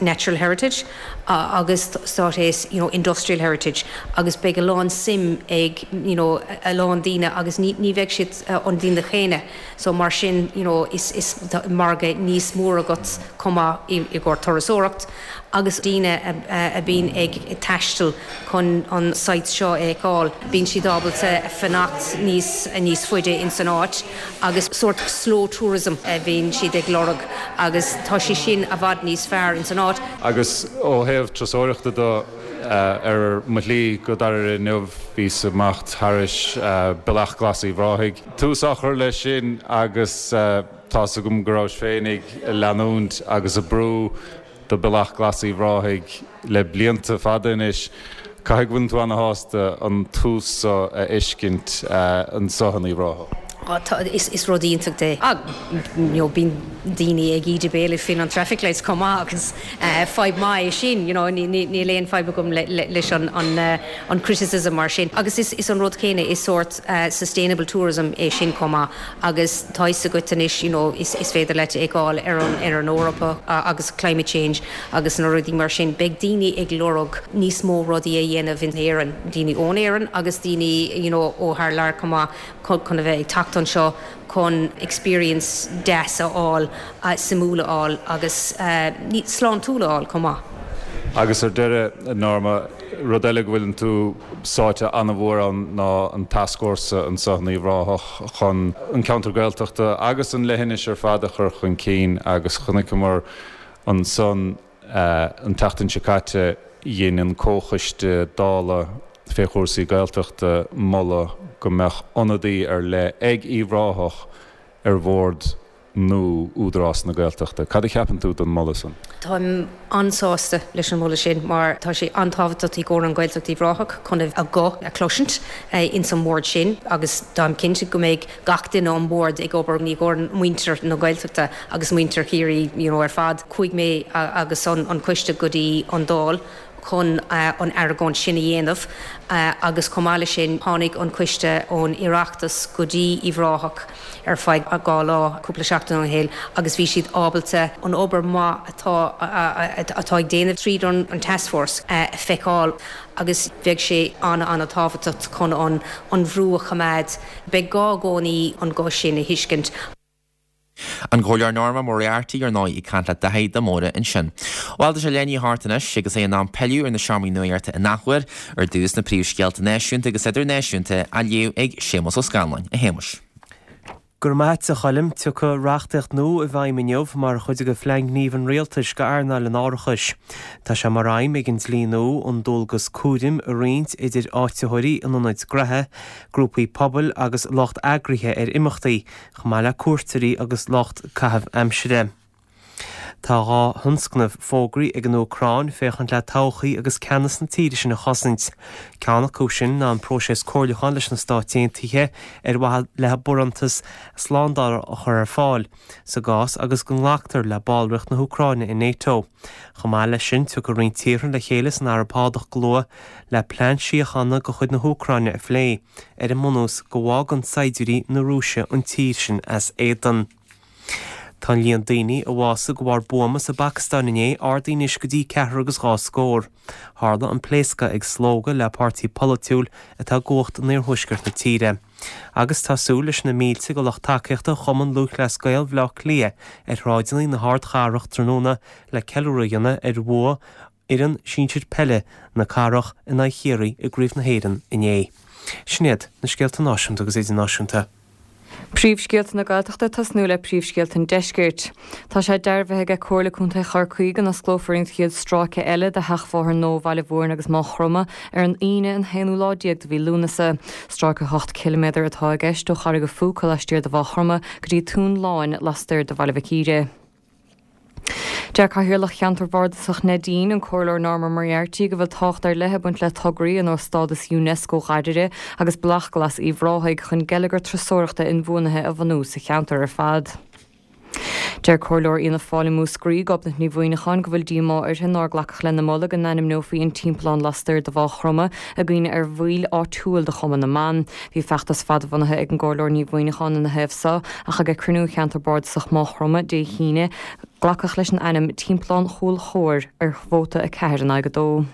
Natural Heritage agus stádas you know Industrial Heritage agus beidh a lán suim ag you know a lán daoine agus ní ní bheidh siad an daoine chéanna so mar sin you know is is margadh níos mór agat chomh maith i i gcomhair turasóireacht agus daoine a bhíonn ag taisteal chun an site seo a fheiceáil, bíonn siad ábalta fanacht níos níos faide ins an áit agus sórt slow tourism a bhíonn siad ag lorg agus tá sé sin i bhfad níos fearr ins an áit. Agus ó thaobh turasóireachta de, ar mo shlí go Dairbhre inniu bhíos ag imeacht thairis Bealach Glas Uíbh Ráthaigh. Tús á chur leis sin agus tá's agam go rabhais féin ag leanúint agus ag brú do Bealach Glas Uíbh Ráthaigh le blianta fada anois. Caithfidh go bhfuileann tú ana-shásta an tús so a fheiscint anso in Uíbh Ráthach. Is rud iontach é. You know, bíonn daoine ag ídiú béil faoin an traffic lights chomh maith agus fadhb maith é sin, you know, níl aon fadhb agam leis an an criticism mar sin. Agus is is an rud céanna is sórt sustainable tourism é sin chomh maith agus tá a fhios agat anois you know, is is féidir leat fheiceáil ar an ar an Eoraip agus climate change agus na rudaí mar sin. Beidh daoine ag lorg níos mó rudaí a dhéanamh in Éirinn, daoine ón Éirinn agus daoine you know, ó thar lear chomh maith chun a bheith ag teacht anseo chun experience deas a fháil, suimiúil a fháil agus sláintiúil a fháil chomh maith. Agus ar deireadh, Norma, rud eile go bhfuileann tú sáite an-mhór ann ná an tascfhórsa anseo in Uíbh Ráthach chun an ceantar Gaeltachta agus an leithinis ar fad a chur chun cinn agus chonaiceamar ansan an tseachtain seo caite dhein an Comhchoiste Dála fé chúrsaí Gaeltachta moladh go mbeadh ionadaí ar leith ag Uíbh Ráthach ar bhord nua Údarás na Gaeltachta. Cad a cheapann tú den moladh san? Táim an-sásta leis an moladh sin mar tá sé an-tábhachtach i gcomhair an Ghaeltacht Uíbh Ráthach chun a guth a chloisint ins an mbord sin agus táim cinnte go mbeidh gach duine an bord ag obair i gcomhair muintir na Gaeltachta agus muintir Chiarraí you know, ar fad. Chuaigh mé agus an, an coiste go dtí an Dáil chun an argóint sin a dhéanamh agus chomh maith leis sin tháinig an coiste ón Oireachtas go dtí Uíbh Ráthach ar feadh dhá lá cúpla seachtain ó shin agus bhí siad ábalta an obair maith atá atá ag déanamh tríd an an taskforce a feiceáil agus bheadh sé an-an-tábhachtach chun an an bhrú a choimeád. Beidh gá i gcónaí an guth sin a thuiscint. An Comhairleoir Norma Moriarty ar ndóigh ag caint le Daithí de Mórdha ansin. Bhuel tá sé leath i ndiaidh a hocht anois agus é in am pilleadh ar na seomraí nuachta in athuair ar dtús na príomhscéalta náisiúnta agus idirnáisiúnta á léamh ag Séamus Ó Scanláin a Shéamuis. Go raibh maith agat a Choilm tiocfaidh reachtaíocht nua i bhfeidhm inniu mar chuid de phlean gnímh an rialtais go earnáil an árachais. Tá sé mar aidhm ag an dlí nua an dualgas cúraim a roinnt idir áititheoirí in ionaid gnaithe, grúpaí pobail agus lucht eagraithe ar imeachtaí, chomh maith le cuairteoirí agus lucht caitheamh aimsire. Tá dhá thionscnamh fógraithe ag an Úcráin féachaint le todhchaí agus ceannas na tíre sin a chosaint. Ceann acu sin ná an próiseas comhairliúcháin leis na Stáit Aontaithe ar mhaithe le barántas slándála a chur ar fáil, sa gcás agus go nglactar le ballraíocht na hÚcráine in NATO. Chomh maith leis sin tiocfaidh roinnt tíortha le chéile san Araib Shádach go luath le plean síochána de chuid na hÚcráine a phlé, ar an mbunús go bhfágann saighdiúirí na Rúise an tír sin as éadan. Tá an líon daoine a bhásaigh de bharr buama sa bPacastáin inné ardaithe anois go dtí ceathrar agus dhá scór. Tharla an pléascadh ag slógadh le páirtí polaitiúil atá i gcumhacht in iarthuaisceart na tíre. Agus tá súil leis na mílte de lucht tacaíochta Chumann Lúthchleas Gael Bhaile Átha Cliath ar shráideanna na hardchathrach tráthnóna le ceiliúradh a dhéanamh ar bhua fhoireann sinsir peile na cathrach in aghaidh Chiarraí i gCraobh na hÉireann inné. Sin iad na scéalta náisiúnta agus idirnáisiúnta. Príomhscéalta na Gaeltachta tosnú le príomhscéalta an Deiscirt. Tá sé dearbhaithe ag Comhairle Contae Chorcaí go n-osclófar an chéad stráice eile de sheachbhóthar nua Bhaile Mhúirne agus Maigh Chromtha ar an Aoine an haonú lá déag de mhí Lúnasa. Stráice ocht ciliméadar atá i gceist ó Charraig an Phúca laistiar de Mhaigh Chromtha go dtí Tóin Láin lastoir de Bhaile Mhic Íre. Deir Cathaoirleach Cheantar Bhardasach Neidín an Comhairleoir Norma Moriarty go bhfuil tábhacht ar leith ag baint le tograí ar nós stádas UNESCO Ghairire agus Bealach Glas Uíbh Ráthaigh chun geilleagar turasóireachta inbhuanaithe a bhunú sa cheantar ar fad. Deir Comhairleoir Fhianna Fáil i Múscraí Gobnait Ní Mhuimhneacháin go bhfuil díomá uirthi nár glacadh lena moladh go n-ainmneofaí an timpeallán lastoir de Mhaigh Chromtha i gcuimhne ar bhaill áitiúil de Chumann na mBan. Bhí feachtas fadbhunaithe ag an gComhairleoir Ní Mhuimhneacháin ina thaobh seo ach ag cruinniú cheantar Bardasach Maigh Chromtha Dé hAoine glacadh leis an ainm Timpeallán Chúil Chomhair ar vóta a ceathair in aghaidh a dó.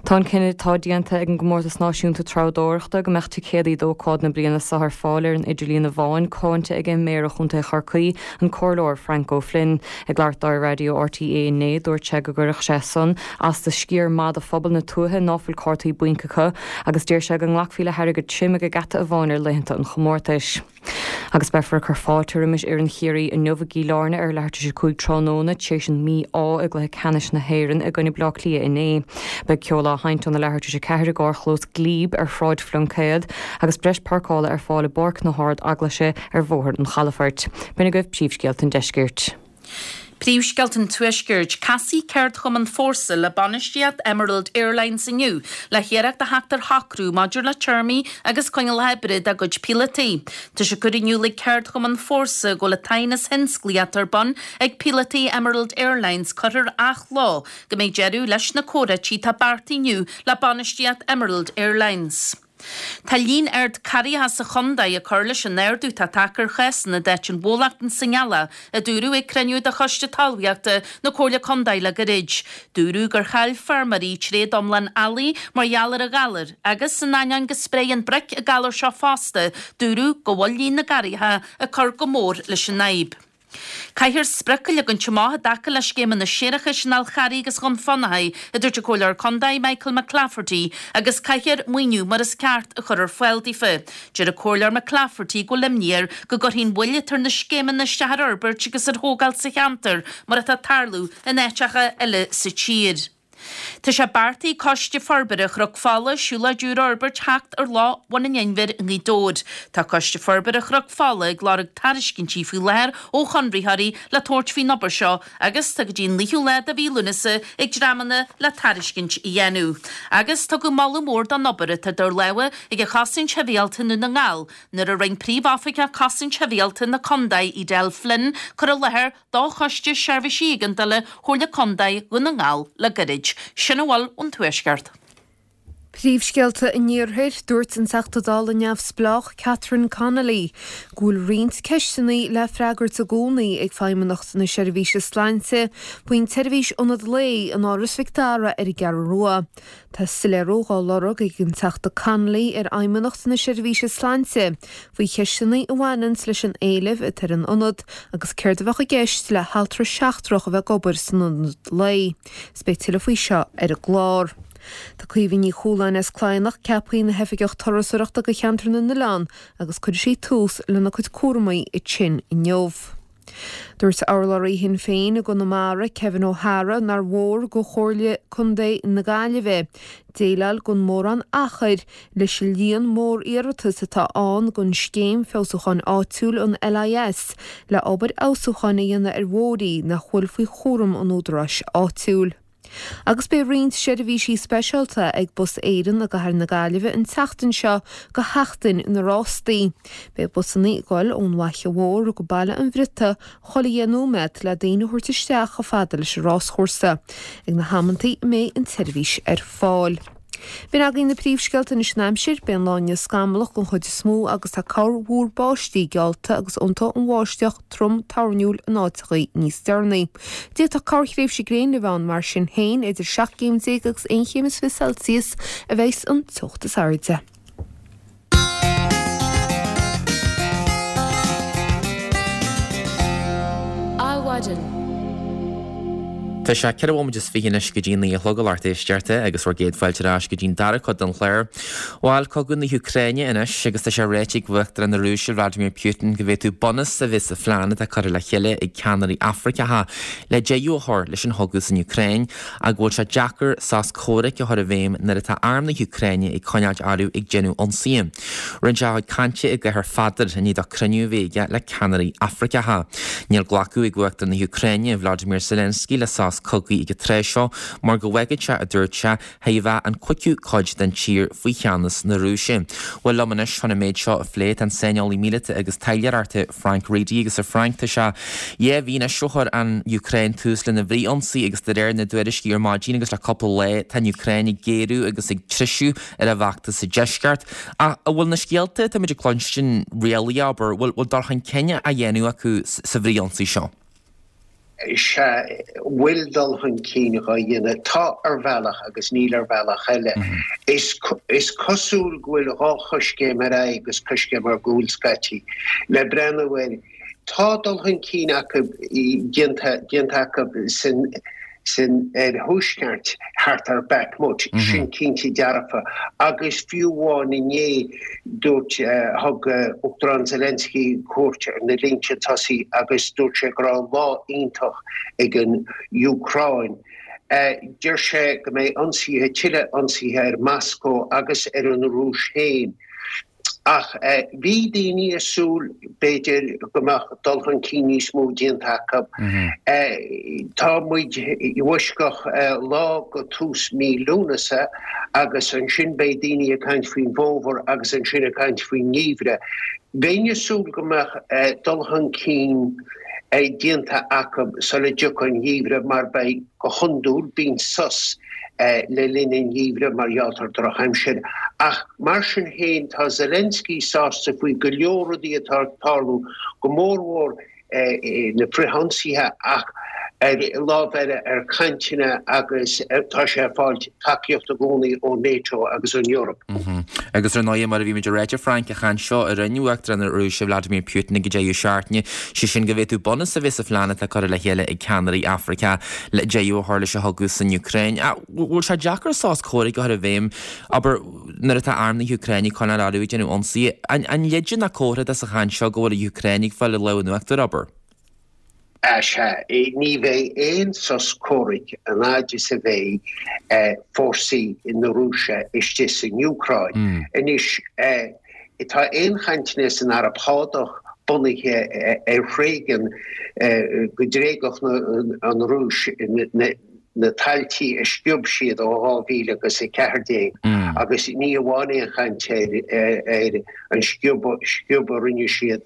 Tá an cinneadh atá déanta ag an gComórtas Náisiúnta Treabhdóireachta go mbeadh ticéadaí d'ócáid na bliana seo ar fáil ar an idirlíon amháin cáinte ag Méara Chontae Chorcaí an Comhairleoir Frank O'Flynn. Ag labhairt dó ar Raidió RTÉ inné dúirt sé go gcuirfeadh sé san as do sciar maith de phobal na tuaithe ná fuil cártaí bainc acu agus deir sé go nglacfaí le hairgead tirim ag an geata amháin ar laethanta an chomórtais. Agus beifear ag cur fáilte roimis fhoireann Chiarraí inniu i gCill Airne ar leathuair tar éis a cúig tráthnóna tar éis an mí-ádh i gcluiche ceannais na hÉireann i gcoinne Bleá Cliath inné. Beidh ceol á sheinnt óna leathuair tar éis a ceathair i gcarrchlós Glebe ar Shráid Phluincéad agus breis páirceála ar fáil i bPáirc na hArd-Eaglaise ar Bhóthar an Chalafoirt. B'in agaibh príomhscéalta an Deiscirt. Príomhscéalta an Tuaiscirt, Casfaidh Ceardchumann Fórsa le bainistíocht Emerald Airlines inniu le hiarracht a theacht ar shocrú maidir le téarmaí agus coinníollacha oibre dá gcuid píolótaí. Tá sé curtha in iúl ag Ceardchumann Fórsa go bhfuil an t-aighneas thionsclaíoch ar bun ag píolótaí Emerald Airlines curtha ar athló go mbeidh deireadh leis na comhráití atá beartaithe inniu le bainistíocht Emerald Airlines. Tá líon ard carraithe sa chontae ag cur leis an ardú atá tagtha ar chásanna d'eite an bhólachta sa ngealach, a dúradh ag cruinniú de Choiste Talmhaíochta na Comhairle Contae le gairid. Dúradh gur chaill feirmeoirí tréad iomlán eallaigh mar gheall ar an ghalar agus, in ainneoin go spréann broic an galar seo fosta, dúradh go bhfuil líon na gcarraithe ag cur go mór leis an fhadhb. Caithfear sprioc a leagaint amach i dtaca le scéimeanna séarachais an Fhál Charraigh agus Dhún Fionnachaidh, a dúirt an Comhairleoir Contae Michael McClafferty, agus caithfear maoiniú mar is ceart a chur ar fáil daofa. Deir an Comhairleoir McClafferty go bhfuil imní air go gcuirfidh an mhoill atá ar na scéimeanna isteach ar fhorbairt agus ar thógáil sa cheantar mar atá ag tarlú in áiteacha eile sa tír. Tá sé beartaithe ag Coiste Forbartha Chnoc Fola siúlóid úr a fhorbairt theacht ar Loch Bhun an Inbhir i nGaoth Dobhair. Tá Coiste Forbartha Chnoc Fola ag lorg tairiscintí faoi láthair ó chonraitheoirí le tabhairt faoin obair seo agus tá go dtí an naoú lá de mhí Lúnasa ag dreamanna le tairiscint a dhéanamh. Agus tugadh moladh mór don obair atá idir lámha ag an Chosaint Shibhialta i nDún na nGall nuair a rinne Príomhoifigeach Cosaint Shibhialta na Condae Edel Flynn cur i láthair do Choiste Seirbhísí Éigeandála Chomhairle Contae Dhún na nGall le gairid. Sin a bhfuil ón Tuaisceart. Príomhscéalta an Iarthair, Dúirt an Teachta Dála neamhspleách Catherine Connolly go bhfuil roinnt ceisteanna le freagairt i gcónaí ag Feidhmeannacht na Seirbhíse Sláinte faoin tseirbhís ionad lae in Áras Mhic Dara ar an gCeathrú Rua. Tá soiléiriú á lorg ag an Teachta Connolly ar Fheidhmeannacht na Seirbhíse Sláinte faoi cheisteanna a bhaineanns leis an éileamh atá ar an ionad agus céard a bheadh i gceist le haltra seachtrach a bheith ag obair san ionad lae. Is beidh tuilleadh faoi seo ar an gclár. Tá Caoimhe Ní Chualáin as Cladhnach ceaptha ina hOifigeach Turasóireachta do Cheantar na nOileán agus cuirfidh sí tús lena cuid cúramaí ansin inniu. Dúirt urlabhraí Shinn Féin i gConamara, Kevin O'Hara, nár mhór do Chomhairle Contae na Gaillimhe déileáil gan mórán achair leis an líon mór iarratas atá ann don Scéim Feabhsúcháin Áitiúil, an LIS, le obair fheabhsúcháin a dhéanamh ar bhóithrí nach bhfuil faoi chúram an údaráis áitiúil. Agus beidh roinnt seirbhísí speisialta ag Bus Éireann i gcathair na Gaillimhe an tseachtain seo do Sheachtain na Rástaí. Beidh busanna ag dul ón bhFaiche Mhór go Baile an Bhriotaigh chuile dheich nóiméad le daoine a thabhairt isteach chomh fada leis an ráschúrsa ag na hamantaí a mbeidh an tseirbhís ar fáil. B'in againn na príomhscéalta anois an aimsir, beidh an lá inniu scamallach den chuid is mó agus tá corrmhúr báistí geallta agus iontóidh an bháisteach trom toirniúil in áiteachaí níos deireanaí. D'fhéadfadh corrthréimhse gréine a bheith ann mar sin féin, idir seacht gcéim déag agus aon chéim is fiche Celsius a bheas an teocht is airde. Adhmhaidin. Tá sé ceithre bhomaite is fiche anois go dtí a naoi a chlog a lucht éisteachta agus bhur gcéad fáilte ar ais go dtí'n dara cuid den chlár. Bhuel, cogadh na hÚcráine anois agus tá sé ráite ag Uachtarán na Rúise Vladimir Putin go bhféadfadh bunús a bheith sa phlean atá curtha le chéile ag ceannairí Afraiceacha le deireadh a chur leis an chogadh san Úcráin ach go bhfuil sé deacair sos comhraic a chur i bhfeidhm nuair atá arm na hÚcráine ag coinneáilt orthu ag déanamh ionsaithe. Rinne sé a chuid cainte i gCathair Pheadair i ndiaidh dó cruinniú a bheith aige le ceannairí Afraiceacha. Níl glacadh ag Uachtarán na hÚcráine, Vladimir Zelensky, le sos cogaidh ag an tráth seo mar go bhfágfadh sé, a dúirt sé, chóir a bheith an cúigiú cuid den tír faoi cheannas na Rúise. Bhuel liom anois chun an méid seo a phlé tá an saineolaí míleata agus taidhleoireachta Frank Reidy agus a Frank tá sé dhá mhí anois ó chuir an Úcráin tús lena bhfrith-ionsaí agus de réir na dtuairiscí ar maidin agus le cúpla lá tá an Úcráin ag géarú agus ag treisiú ar a bhfeachtas sa deisceart. Ach an bhfuil na scéalta atáimid ag cluinstin réalaíoch, abair, bhfuil dul chun cinn á dhéanamh acu sa bhfrith-ionsaí seo? Sea, bhfuil dul chun cinn á dhéanamh. Tá ar bhealach agus níl ar bhealach eile. Is is cosúil go bhfuil dhá choiscéim ar aghaidh agus coiscéim ar gcúl scaití. Le breathnú air, tá dul chun cinn acu déanta déanta acu san san oirthuaisceart thart ar Bakhmut, sin cinnte dearfa. Agus fiú amháin inné, dúirt, thug Uachtarán Zelensky cuairt ar na línte tosaigh agus dúirt sé go raibh lá iontach ag an Úcráin. Deir sé go mbeidh ionsaithe, tuilleadh ionsaithe ar Moscó agus ar an Rúis féin. Ach bhí daoine ag súil, b'fhéidir, go mbeadh dul chun cinn níos mó déanta acu. Tá muid i bhfoisceacht lá go tús mí Lúnasa agus ansin beidh daoine ag caint faoin bhfómhar agus ansin ag caint faoin ngeimhreadh. Bheinn ag súil go mbeadh dul chun cinn déanta acu sula dtiocfaidh an geimhreadh mar beidh, go hiondúil, bíonn sos le linn an gheimhridh mar gheall ar drochaimsir. Ach mar sin féin, tá Zelensky sásta faoi go leor rudaí atá ag tarlú, go mórmhór na frithionsaithe ach ar lámh eile ar chainteanna agus tá sé ag fáilt tacaíocht i gcónaí ó NATO agus ón Eoraip. Agus ar ndóigh, mar a bhí muid ag ráit, a Frank, an chaint seo a rinne Uachtarán na Rúise Vladimir Putin ag an deireadh seachtaine, sé sin go bhféadfadh bunús a bheith sa phlean atá curtha le chéile ag ceannairí Afraice le deireadh a chur leis an chogadh san Úcráin. Bhfuil sé deacair sos comhraic a chur i bhfeidhm, abair, nuair atá arm na hÚcráine ag coinneáil orthu ag déanamh ionsaithe? An leide nó comhartha de sa chaint seo go bhfuil an Úcráin ag fáil an lámh in uachtar, abair? Sea, ní bheidh aon sos comhraic an fhaid is a bheidh fórsaí na Rúise istigh san Úcráin. Anois, tá aon chainteanna san Araib Shádach bunaithe ar thréigean go dtréigfeadh an Rúis na tailtí a sciob siad ó dhá mhíle agus a ceathair déag agus ní amháin aon chaint ar an sciob a rinne siad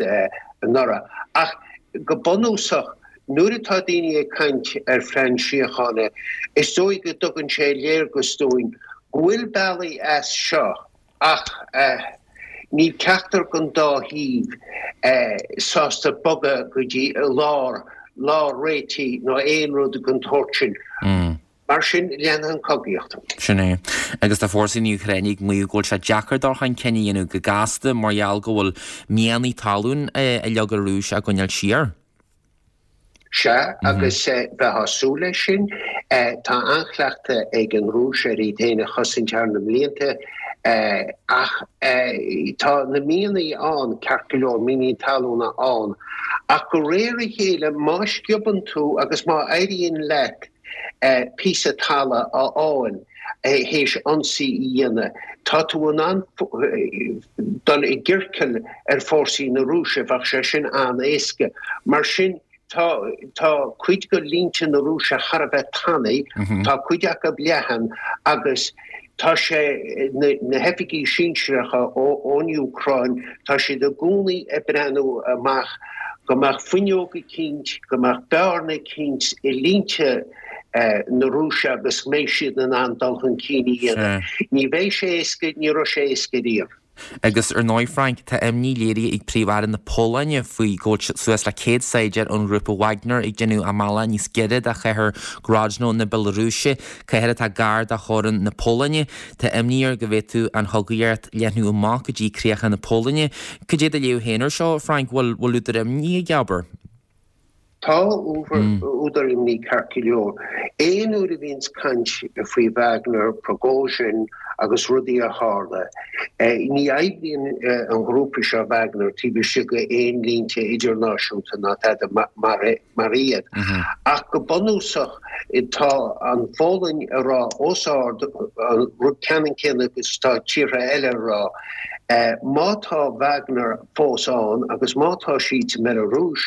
anuraidh ach go bunúsach nuair atá daoine ag caint ar phlean síochána is dóigh go dtugann sé léargas dúinn go bhfuil bealaí as seo ach níl ceachtar den dá thaobh sásta bogadh go dtí lár lár réitigh nó aon rud den tsórt sin. Mar sin, leanfaidh an chogaíocht. Sin é. Agus tá fórsaí na hÚcráine ag maíomh go bhfuil sé deacair dul chun cinn a dhéanamh go gasta mar gheall go bhfuil mianaigh talún a leag an Rúis á gcoinneáil siar. Sea, agus bheifeá ag súil leis sin. Tá an-chleachtadh ag an Rúis ar iad féin a chosaint thar na mblianta, ach tá na mianaigh ann, ceart go leor, mianaigh talúna ann, ach de réir a chéile, má sciobann tú agus má éiríonn leat píosa talaimh a fháil théis ionsaí a dhéanamh, tá tú in ann dul i gciorcal ar fórsaí na Rúise, bheadh sé sin an-éasca. Mar sin, Tá tá cuid de línte na Rúise thar a bheith tanaí, tá cuid acu leathan agus tá sé, na na hoifigigh sinsearacha ón Úcráin, tá siad i gcónaí ag breathnú amach go mbeadh fuinneog eicínt, go mbeadh bearna eicínt i línte na Rúise agus go mbeidh siad in ann dul chun cinn a dhéanamh. Ní bheidh sé éasca, ní raibh sé éasca riamh. Agus ar ndóigh, Frank, tá imní léirithe ag Príomh-Aire na Polainne faoi go bhfuil suas le céad saighdiúir ón ghrúpa Wagner ag déanamh a mbealach níos giorra do chathair Grodno na Bealarúise, cathair atá gar do theorainn na Polainne. Tá imní air go bhféadfadh an chogaíocht leathnú amach go dtí críocha na Polainne. Cad é do léamh féin air seo, Frank? Bhfuil údar imní aige, abair? Tá údar imní ceart go leor. Aon uair a bhíonns caint faoi Wagner, Prigozhin agus rudaí a tharla, ní oibríonn an ghrúpa seo Wagner taobh istigh de aon línte idirnáisiúnta ná tada mar iad. Ach go bunúsach tá an Pholainn ag rá os ard an rud ceannann céanna agus tá tíortha eile ag rá, má tá Wagner fós ann agus má tá siad sa mBealarúis,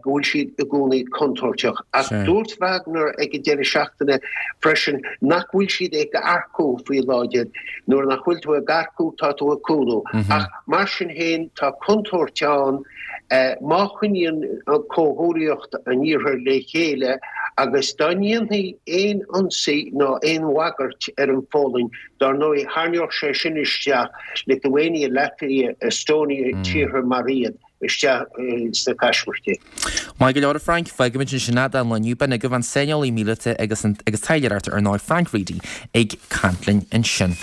go bhfuil siad i gcónaí contúirteach. Ach dúirt Wagner ag an deireadh seachtaine freisin nach bhfuil siad ag earcú faoi láthair. Nuair nach bhfuil tú ag earcú, tá tú ag cúlú. Ach mar sin féin, tá contúirt ann má choinníonn comhghuaillíocht an Iarthair le chéile agus dá ndéanfaí aon ionsaí ná aon bhagairt ar an Pholainn, Dar ndóigh, tharraingeodh sé sin isteach Lithuania, Latvia, Estonia, tíortha mar iad, isteach sna caismirtí. Maith go leor, a Frank. Fágfaimid ansin é don lá inniu. B'in agaibh an saineolaí míleata agus an agus taidhleoir ar ndóigh, Frank Reidy, ag caint linn ansin.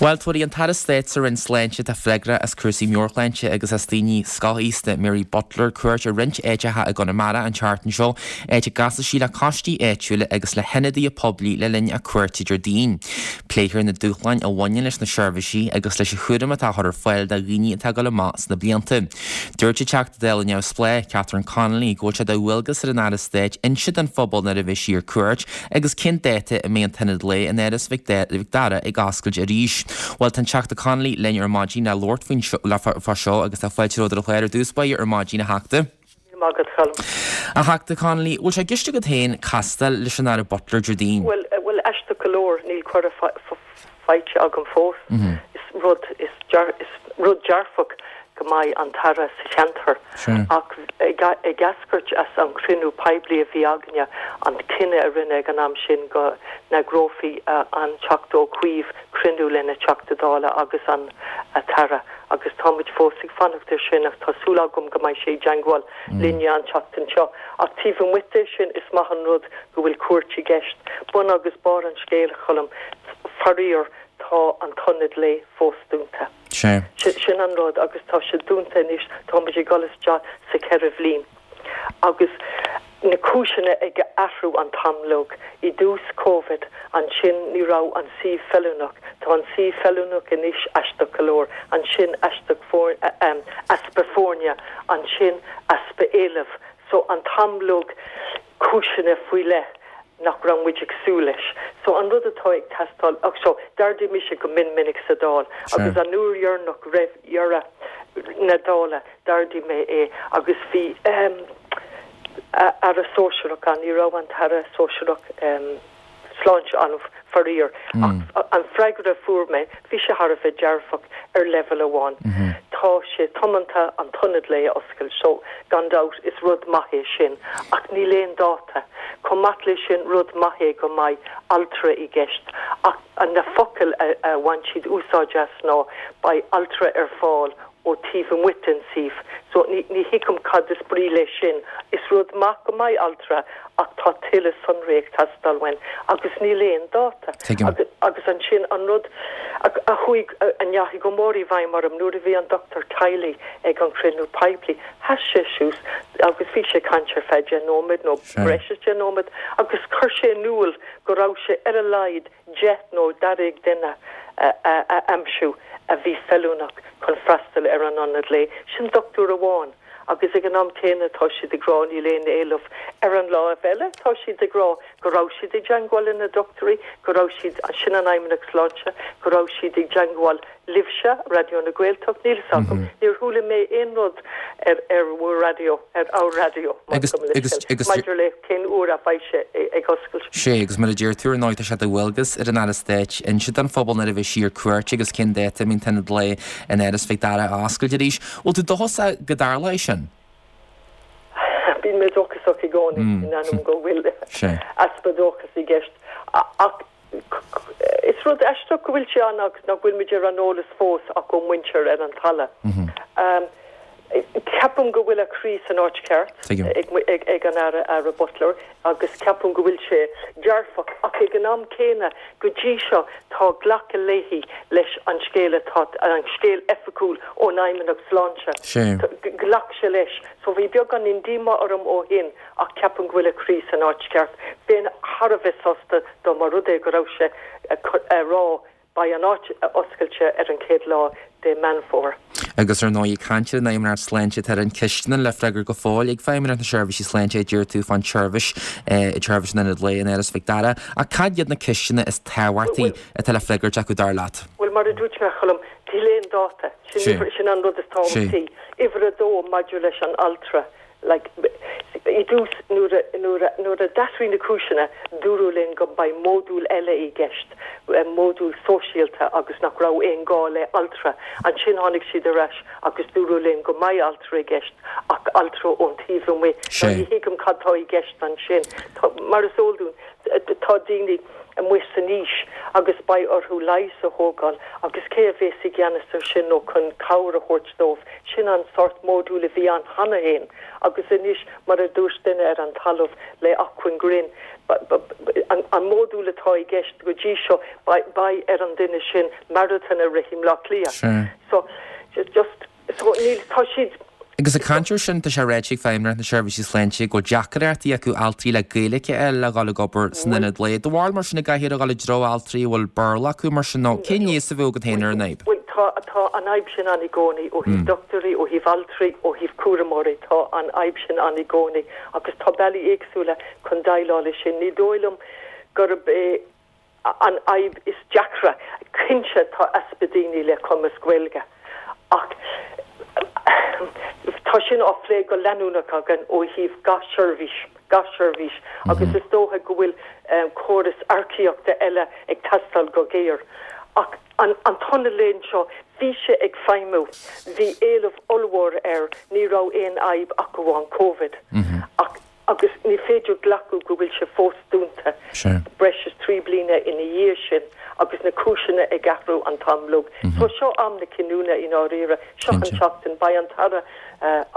Bhuel, tabharfaidh an tAire Stáit sa Roinn Sláinte atá freagrach as cúrsaí meabhairshláinte agus as daoine scothaosta, Mary Butler, cuairt ar roinnt áiteacha i gConamara an tseachtain seo, áit a gcasfaidh sí le coistí áitiúla agus le hionadaithe poiblí le linn a cuairte Déardaoin. Pléifear na dúshláin a bhaineann leis na seirbhísí agus leis an chúram atá á chur ar fáil do dhaoine atá ag dul amach sna blianta. Dúirt an Teachta Dála Neamhspleách, Catherine Connolly, go bhfuil sé de dhualgas ar an Aire Stáit inse don phobal nuair a bheidh sí ar cuairt agus cén dáta a mbeidh an t-ionad lae in Áras Mhic Dara ag oscailt arís. Bhuel, tá an Teachta Connolly linn ar maidin le labhairt faoin le fá seo agus tá fáilte romhat ar an chlár ar dtús báire ar maidin, a Theachta. Maith agat, Colm. A Theachta Connolly, bhfuil sé i gceist agat féin castáil leis an Aire Butler Déardaoin? Bhuel, bhuel, aisteach go leor, níl cuireadh faighte agam fós. Is rud, is rud dearfach go mbeidh an tAire sa cheantar ach ag eascairt as an chruinniú poiblí a bhí againne, an cinneadh a rinneadh ag an am sin go n-eagrófaí an Teachta Ó Cuív cruinniú lena Teachta Dála agus an tAire agus táimid fós ag fanacht air sin ach tá súil agam go mbeidh sé i dteangmháil linne an tseachtain seo. Ach taobh amuigh de sin is maith an rud go bhfuil cuairt i gceist. Bun agus barr an scéil, a Choilm, faraor tá an t-ionad lae fós dúnta. Sin an rud agus tá sé dúnta anois, táimid ag dul isteach sa cheithre bhliain agus na cúiseanna ag athrú an t-am uilig. I dtús Covid, ansin ní raibh an suíomh feiliúnach, tá an suíomh feiliúnach anois aisteach go leor, ansin aisteach easpa foirne, ansin easpa éilimh. So an t-am uilig cúiseanna faoi leith nach raibh muid ag súil leis. So an rud atá ag teastáil, ach so d'ardaigh mise go mion minic sa Dáil agus an uair dheireanach roimh dheireadh na Dála d'ardaigh mé é agus bhí ehm Aire Sóisearach ann, ní raibh an tAire Sóisearach ehm Sláinte ann faraor ach an freagra a fuair mé, bhí sé thar a bheith dearfach ar leibhéal amháin. Tá sé tiomanta an t-ionad lae a oscailt so gan dabht is rud maith é sin ach níl aon dáta. Chomh maith leis sin rud maith é go mbeidh altra i gceist ach na focail a bhain siad úsáid as ná beidh altra ar fáil ó taobh amuigh den suíomh. So ní ní thuigim cad is brí leis sin. Is rud maith go mbeidh altra ach tá tuilleadh sonraí ag teastáil uainn agus níl aon dáta. Tuigim. Agus agus ansin an rud a a chuaigh a ndeachaigh go mór i bhfeidhm orm nuair a bhí an dochtúir teaghlaigh ag an chruinniú poiblí, sheas sé suas agus bhí sé ag caint ar feadh deich nóiméad nó Sea. breis is deich nóiméad agus chuir sé in iúl go raibh sé ar a laghad deich nó dáréag duine a a a aimsiú a bhí feiliúnach chun freastal ar an ionad lae. Sin dochtúir amháin agus ag an am céanna tá siad ag rá níl aon éileamh. Ar an láimh eile tá siad ag rá go raibh siad i dteangmháil le na dochtúirí, go raibh siad, sin an Fheidhmeannacht Sláinte, go raibh siad i dteangmháil libhse, Raidió na Gaeltacht, níl fhios agam, níor chuala mé aon rud ar ar bhur raidió, ar ár raidió, Agus, gabh mo agus, leithscéal, agus, maidir le cén uair a bheidh sé ag oscailt. Sé, agus mar a deir tú, ar ndóigh, tá sé de dhualgas ar an Aire Stáit inse don phobal nuair a bheidh sí ar cuairt agus cén dáta a mbíonn an t-ionad lae in Áras Mhic Dara á oscailt arís. Bhfuil tú dóchasach go dtarlóidh sin? Bíonn mé dóchasach i gcónaí, in ainneoin go bhfuil Sé. easpa dóchas i gceist. Ach is rud aisteach go bhfuil sé ann agus nach bhfuil muid ar an eolas fós ach ó mhuintir ar an talamh. Ceapaim go bhfuil a chroí san áit cheart Tuigim. ag, ag, ag an Aire, Aire Butler agus ceapaim go bhfuil sé dearfach ach ag an am céanna go dtí seo tá glacadh léi leis an scéal atá an scéal oifigiúil ón Fheidhmeannacht Sláinte. Sé. Ghlac sé leis, so bhí beagán díomá orm ó shin ach ceapaim go bhfuil a chroí san áit cheart. Bheinn thar a bheith sásta dá mba rud é go raibh sé a rá beidh an áit oscailte ar an chéad lá de Meán Fómhair. Agus ar ndóigh ag caint ar an Fheidhmeannacht Sláinte tá roinnt ceisteanna le freagairt go fóill ag Feidhmeannacht na Seirbhísí Sláinte a deir tú fán tseirbhís tseirbhís an Ionaid Lae in Áras Mhic Dara. Ach cad iad na ceisteanna is tábhachtaí atá le freagairt acu dar leat? Bhuel mar a dúirt mé Colm, níl aon dáta. Sin Sé. sin an rud is tábhachtaí. Uimhir a dó maidir leis an altra. Like, i dtús nuair a nuair a nuair a d'athraigh na cúiseanna dúradh linn go mbeidh módúl eile i gceist, módúl sóisialta agus nach raibh aon gá le altra. Ansin tháinig siad ar ais agus dúradh linn go mbeidh altra i gceist ach altra ón taobh amuigh. Sé. Ní thuigim cad tá i gceist ansin. Tá, mar is eol dúinn, tá daoine amuigh san aois agus beidh orthu leigheas a thógáil agus cé a bheas i gceannas ar sin nó chun cabhair a thabhairt dóibh. Sin an sórt módúl a bhí ann cheana féin agus anois mar a dúirt duine ar an talamh le acmhainn grinn an, an módúl atá i gceist go dtí seo beidh ar an duine sin marathon a rith i mBleá Cliath. Sé. So just so níl tá siad Agus ag caint air sin tá sé ráite ag Feidhmeannacht na Seirbhísí Sláinte go deacrachtaí acu altraí le Gaeilge a fháil le dhul ag obair san ionad lae. Do bharúil mar sin an gcaithfear a dhul i dtreo altraí a bhfuil Béarla acu mar sin nó cén leigheas a bheadh agat féin ar an fhadhb? Bhuel tá tá an fhadhb sin ann i gcónaí ó thaobh dochtúirí, ó thaobh altraí, ó thaobh cúramóirí, tá an fhadhb sin ann i gcónaí agus tá bealaí éagsúla chun déileáil leis sin. Ní dóigh liom gurb é an fhadhb is deacra. Cinnte tá easpa daoine le cumas Gaeilge ach tá sin á phlé go leanúnach againn ó thaobh gach seirbhís, gach seirbhís agus is dócha go bhfuil córas earcaíochta eile ag teastáil go géar. Ach an an t-ionad lae seo, bhí sé ag feidhmiú, bhí éileamh ollmhór air, ní raibh aon fhadhb ach amháin Covid. Ach agus ní féidir glacadh go bhfuil sé fós dúnta breis is trí bliana ina dhiaidh sin agus na cúiseanna ag athrú an t-am uilig. So seo am na cinniúna i ndáiríre, seo an tseachtain, beidh an tAire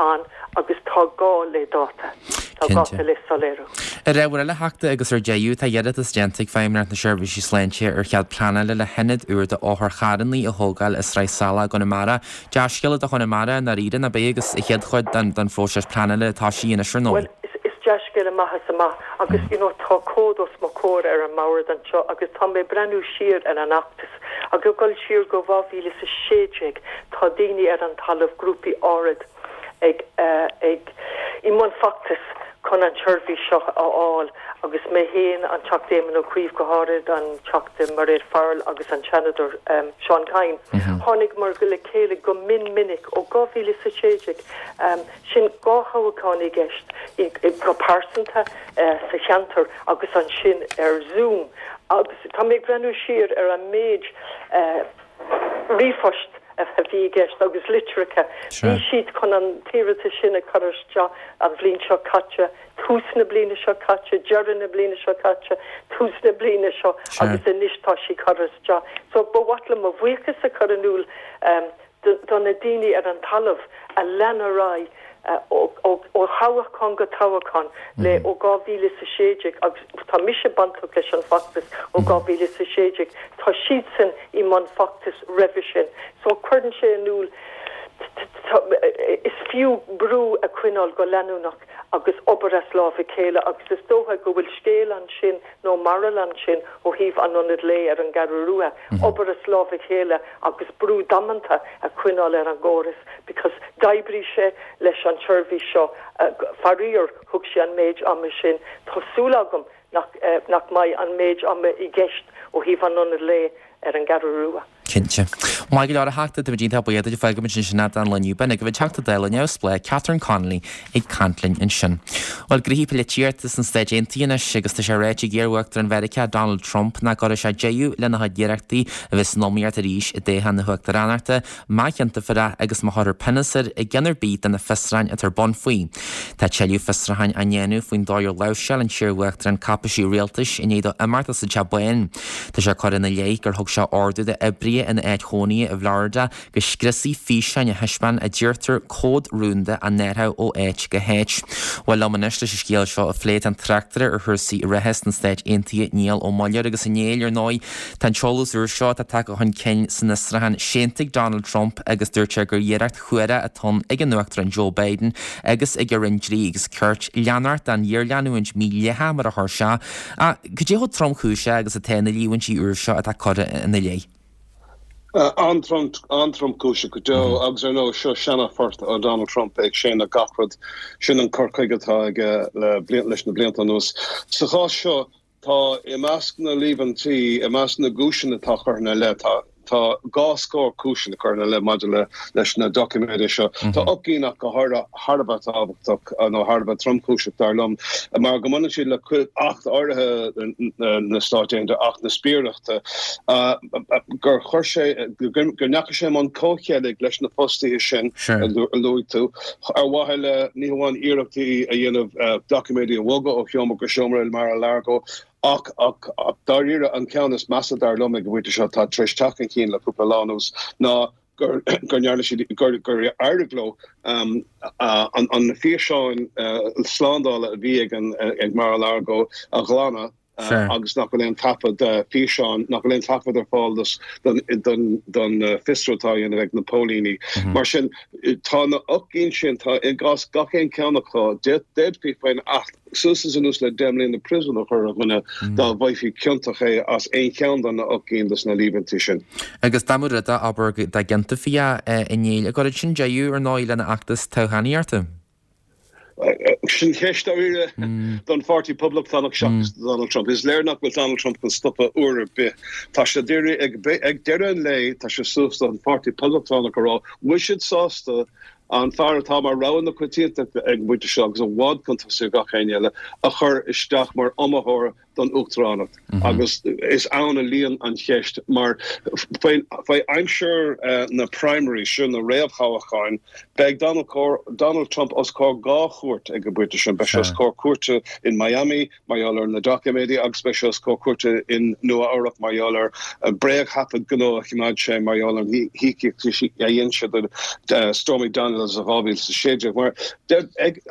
ann agus tá gá le dáta, tá gá le soiléiriú. Ar ábhar eile a Theachta agus ar deireadh, tá iarratas déanta ag Feidhmeannacht na Seirbhísí Sláinte ar chead pleanála le hionad úr d'otharcharranna a thógáil i Sraith Salach i gConamara. Dea-scéala do Chonamara i ndáiríre, nach ea, agus an chéad chuid den phróiseas pleanála atá sí anois ar ndóigh. Bhuel, is dea-scéala maith is amach agus you know tá comhad os mo chomhair ar an mbord anseo agus tá mé ag breathnú siar ar an fheachtas agus ag dul siar go dhá mhíle is a sé déag tá daoine ar an talamh, grúpaí áirid ag ag i mbun feachtais chun an tseirbhís seo a fháil agus mé féin, an Teachta Éamon Ó Cuív go háirid, an Teachta Mairéad Farrell agus an Seanadóir Seán Kyne. Tháinigeamar le chéile go mion minic ó dhá mhíle is a sé déag, sin dhá thoghchán i gceist, go pearsanta sa cheantar agus ansin ar Zoom agus tá mé ag breathnú siar ar an méid ríomhphost a bhí i gceist agus litreacha. Bhí siad chun an t-iarratas sin a chur isteach an bhliain seo caite, tús na bliana seo caite, deireadh na bliana seo caite, tús na bliana seo agus anois tá sé curtha isteach. So ba mhaith liom mo bhuíochas a chur in iúl do na daoine ar an talamh a lean ar aghaidh ó thoghchán go toghchán le ó dhá mhíle is a sé déag agus tá mise bainteach leis an bhfeachtas ó dhá mhíle is a sé déag, tá siadsan i mbun feachtais roimhe sin. So cuireann sé in iúl is fiú brú a choinneáil go leanúnach agus obair as lámh a chéile agus is dócha go bhfuil scéal ansin nó moral ansin ó thaobh an Ionad Lae ar an gCeathrú Rua, obair as lámh a chéile agus brú damanta a choinneáil ar an gcóras because d'oibrigh sé leis an tseirbhís seo, faraor thug sé an méid ama sin. Tá súil agam nach nach mbeidh an méid ama i gceist ó thaobh an Ionad Lae ar an gCeathrú Rua. Cinnte. Maith go leor a Theachta, táimid iontach buíoch duit. Fágfaimid ansin é don lá inniu. B'in agaibh an Teachta Dála Neamhspleách Catherine Connolly ag caint linn ansin. Bhuel, gnoithí polaitíochta sna Stáit Aontaithe anois agus tá sé ráite ag iar-Uachtarán Mheiriceá Donald Trump nach gcuirfidh sé deireadh lena chuid iarrachtaí a bheith san iomaíocht arís i dtoghchán na huachtaránachta má chiontófar é agus má chuirfear pionós air i gceann ar bith de na fiosrúcháin atá ar bun faoi. Tá tuilleadh fiosrúcháin á ndéanamh faoin dóigh ar láimhseáil an t-iar-uachtarán cáipéisí rialtais i ndiaidh dó imeacht as an Teach Bán. Tá sé curtha ina leith gur thug sé ordú d'oibrithe ina áit chónaithe i bhFlorida go scriosfaí físeáin a thaispeáin a deirtear comhad rúnda á n-athrú ó áit go háit. Bhuel liom anois leis an scéal seo a phlé tá an tráchtaire ar chúrsaí reatha sna Stáit Aontaithe Niall Ó Muilleoir agus a Néill ar ndóigh tá an t-eolas úr seo atá tagtha chun cinn san fhiosrúchán séanta ag Donald Trump agus dúirt sé gur iarracht shuarach atá ann ag an Uachtarán Joe Biden agus ag a Roinn Dlí agus Cirt leanacht den ghéarleanúint mhídhleathach mar a chuir sé. Ach cad é chomh tromchúiseach agus atá na líomhaintí úr seo atá curtha ina leith? An-tromchúiseach go deo agus ar ndóigh seo seana-phort ó Donald Trump ag séanadh gach rud. Sin an cur chuige atá aige leis na blianta anuas. Sa chás seo, tá i measc na líomhaintí, i measc na gcúiseanna atá curtha ina leith, tá tá dhá scór cúiseanna curtha ina leith maidir le leis na doiciméid seo. Tá ocht gcinn ach go háirithe thar a bheith tábhachtach nó thar a bheith tromchúiseach dar liom mar go mbaineann siad le acht áirithe na Stát Aontaithe, Acht na Spiaireachta, gur chuir sé, go ndeachaigh sé i mbun comhcheilg leis na fostaithe sin a luaigh tú, ar mhaithe le ní hamháin iarrachtaí a dhéanamh doiciméidí a bhogadh ó sheomra go seomra i Mar-a-Lago ach ach ach dáiríre an ceann is measa dar liom ag an bpointe seo atá tar éis teacht chun cinn le cúpla lá anuas ná gur gur ndearna siad gur gur éirigh leo an an físeáin slándála a bhí ag an ag Mar-a-Lago a ghlanadh agus nach bhfuil aon taifead físeáin, nach bhfuil aon taifead ar fáil don don don fiosrú atá á dhéanamh ag na póilíní. Mar sin, tá na ocht gcinn sin, tá i gcás gach aon cheann acu, d'fhéadfaí faoin Acht suas is anuas le deich mbliana príosúin a chur ar dhuine dá bhfaighfí ciontach é as aon cheann de na ocht gcinn de na líomhaintí sin. Agus dá mba rud é, abair, dá gciontófaí é, a Néill, an gcuirfeadh sin deireadh, ar ndóigh, lena fheachtas toghchánaíochta. Sin ceist dáiríre don Pháirtí Poblachtánach seachas do Donald Trump. Is léir nach bhfuil Donald Trump chun stopadh uair ar bith. Tá sé dáiríre ag deireadh an lae, tá sé suas don Pháirtí Poblachtánach a rá bhfuil siad sásta an fear atá mar rogha na coitiantachta ag an bpointe seo agus i bhfad chun tosaigh ar gach éinne eile a chur isteach mar iomaitheoir don uachtaránacht agus is ann a luíonn an cheist mar faoi aimsir na primaries, sin na réamhthoghcháin, beidh Donald Trump os comhair dhá chúirt ag an bpointe sin, beidh sé os comhair cúirte in Miami mar gheall ar na doiciméidí agus beidh sé os comhair cúirte in Nua Eabhrac mar gheall ar bréagthaifead gnó a choimeád sé mar gheall ar an híocaíocht a dhein sé do Stormy Daniels i dhá mhíle is a sé déag. Mar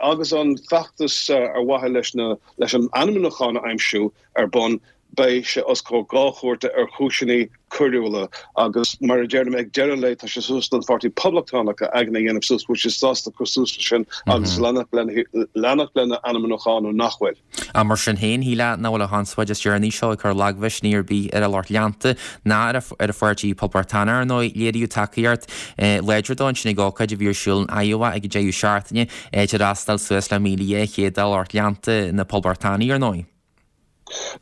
agus an feachtas ar mhaithe leis na leis an ainmniúchán a aimsiú ar bun, beidh sé os comhair dhá chúirte ar chúiseanna coiriúla agus, mar a deirim, ag deireadh an lae tá sé suas don Pháirtí Poblachtánach a aigne a dhéanamh suas, bhfuil siad sásta cur suas leis sin agus leanacht lena ainmniúchán nó nach bhfuil. Ach mar sin féin, shílfeá nach bhfuil an chonspóid is deireanaí seo ag cur lagmhisnigh ar bith ar a lucht leanta ná ar a pháirtí Poblachtánach, ar ndóigh. Léiríodh tacaíocht láidir dó ansin ag ócáid a bhí ar siúl in Iowa ag an deireadh seachtaine, áit ar fhreastail suas le míle dhá chéad de lucht leanta na Poblachtánach, ar ndóigh.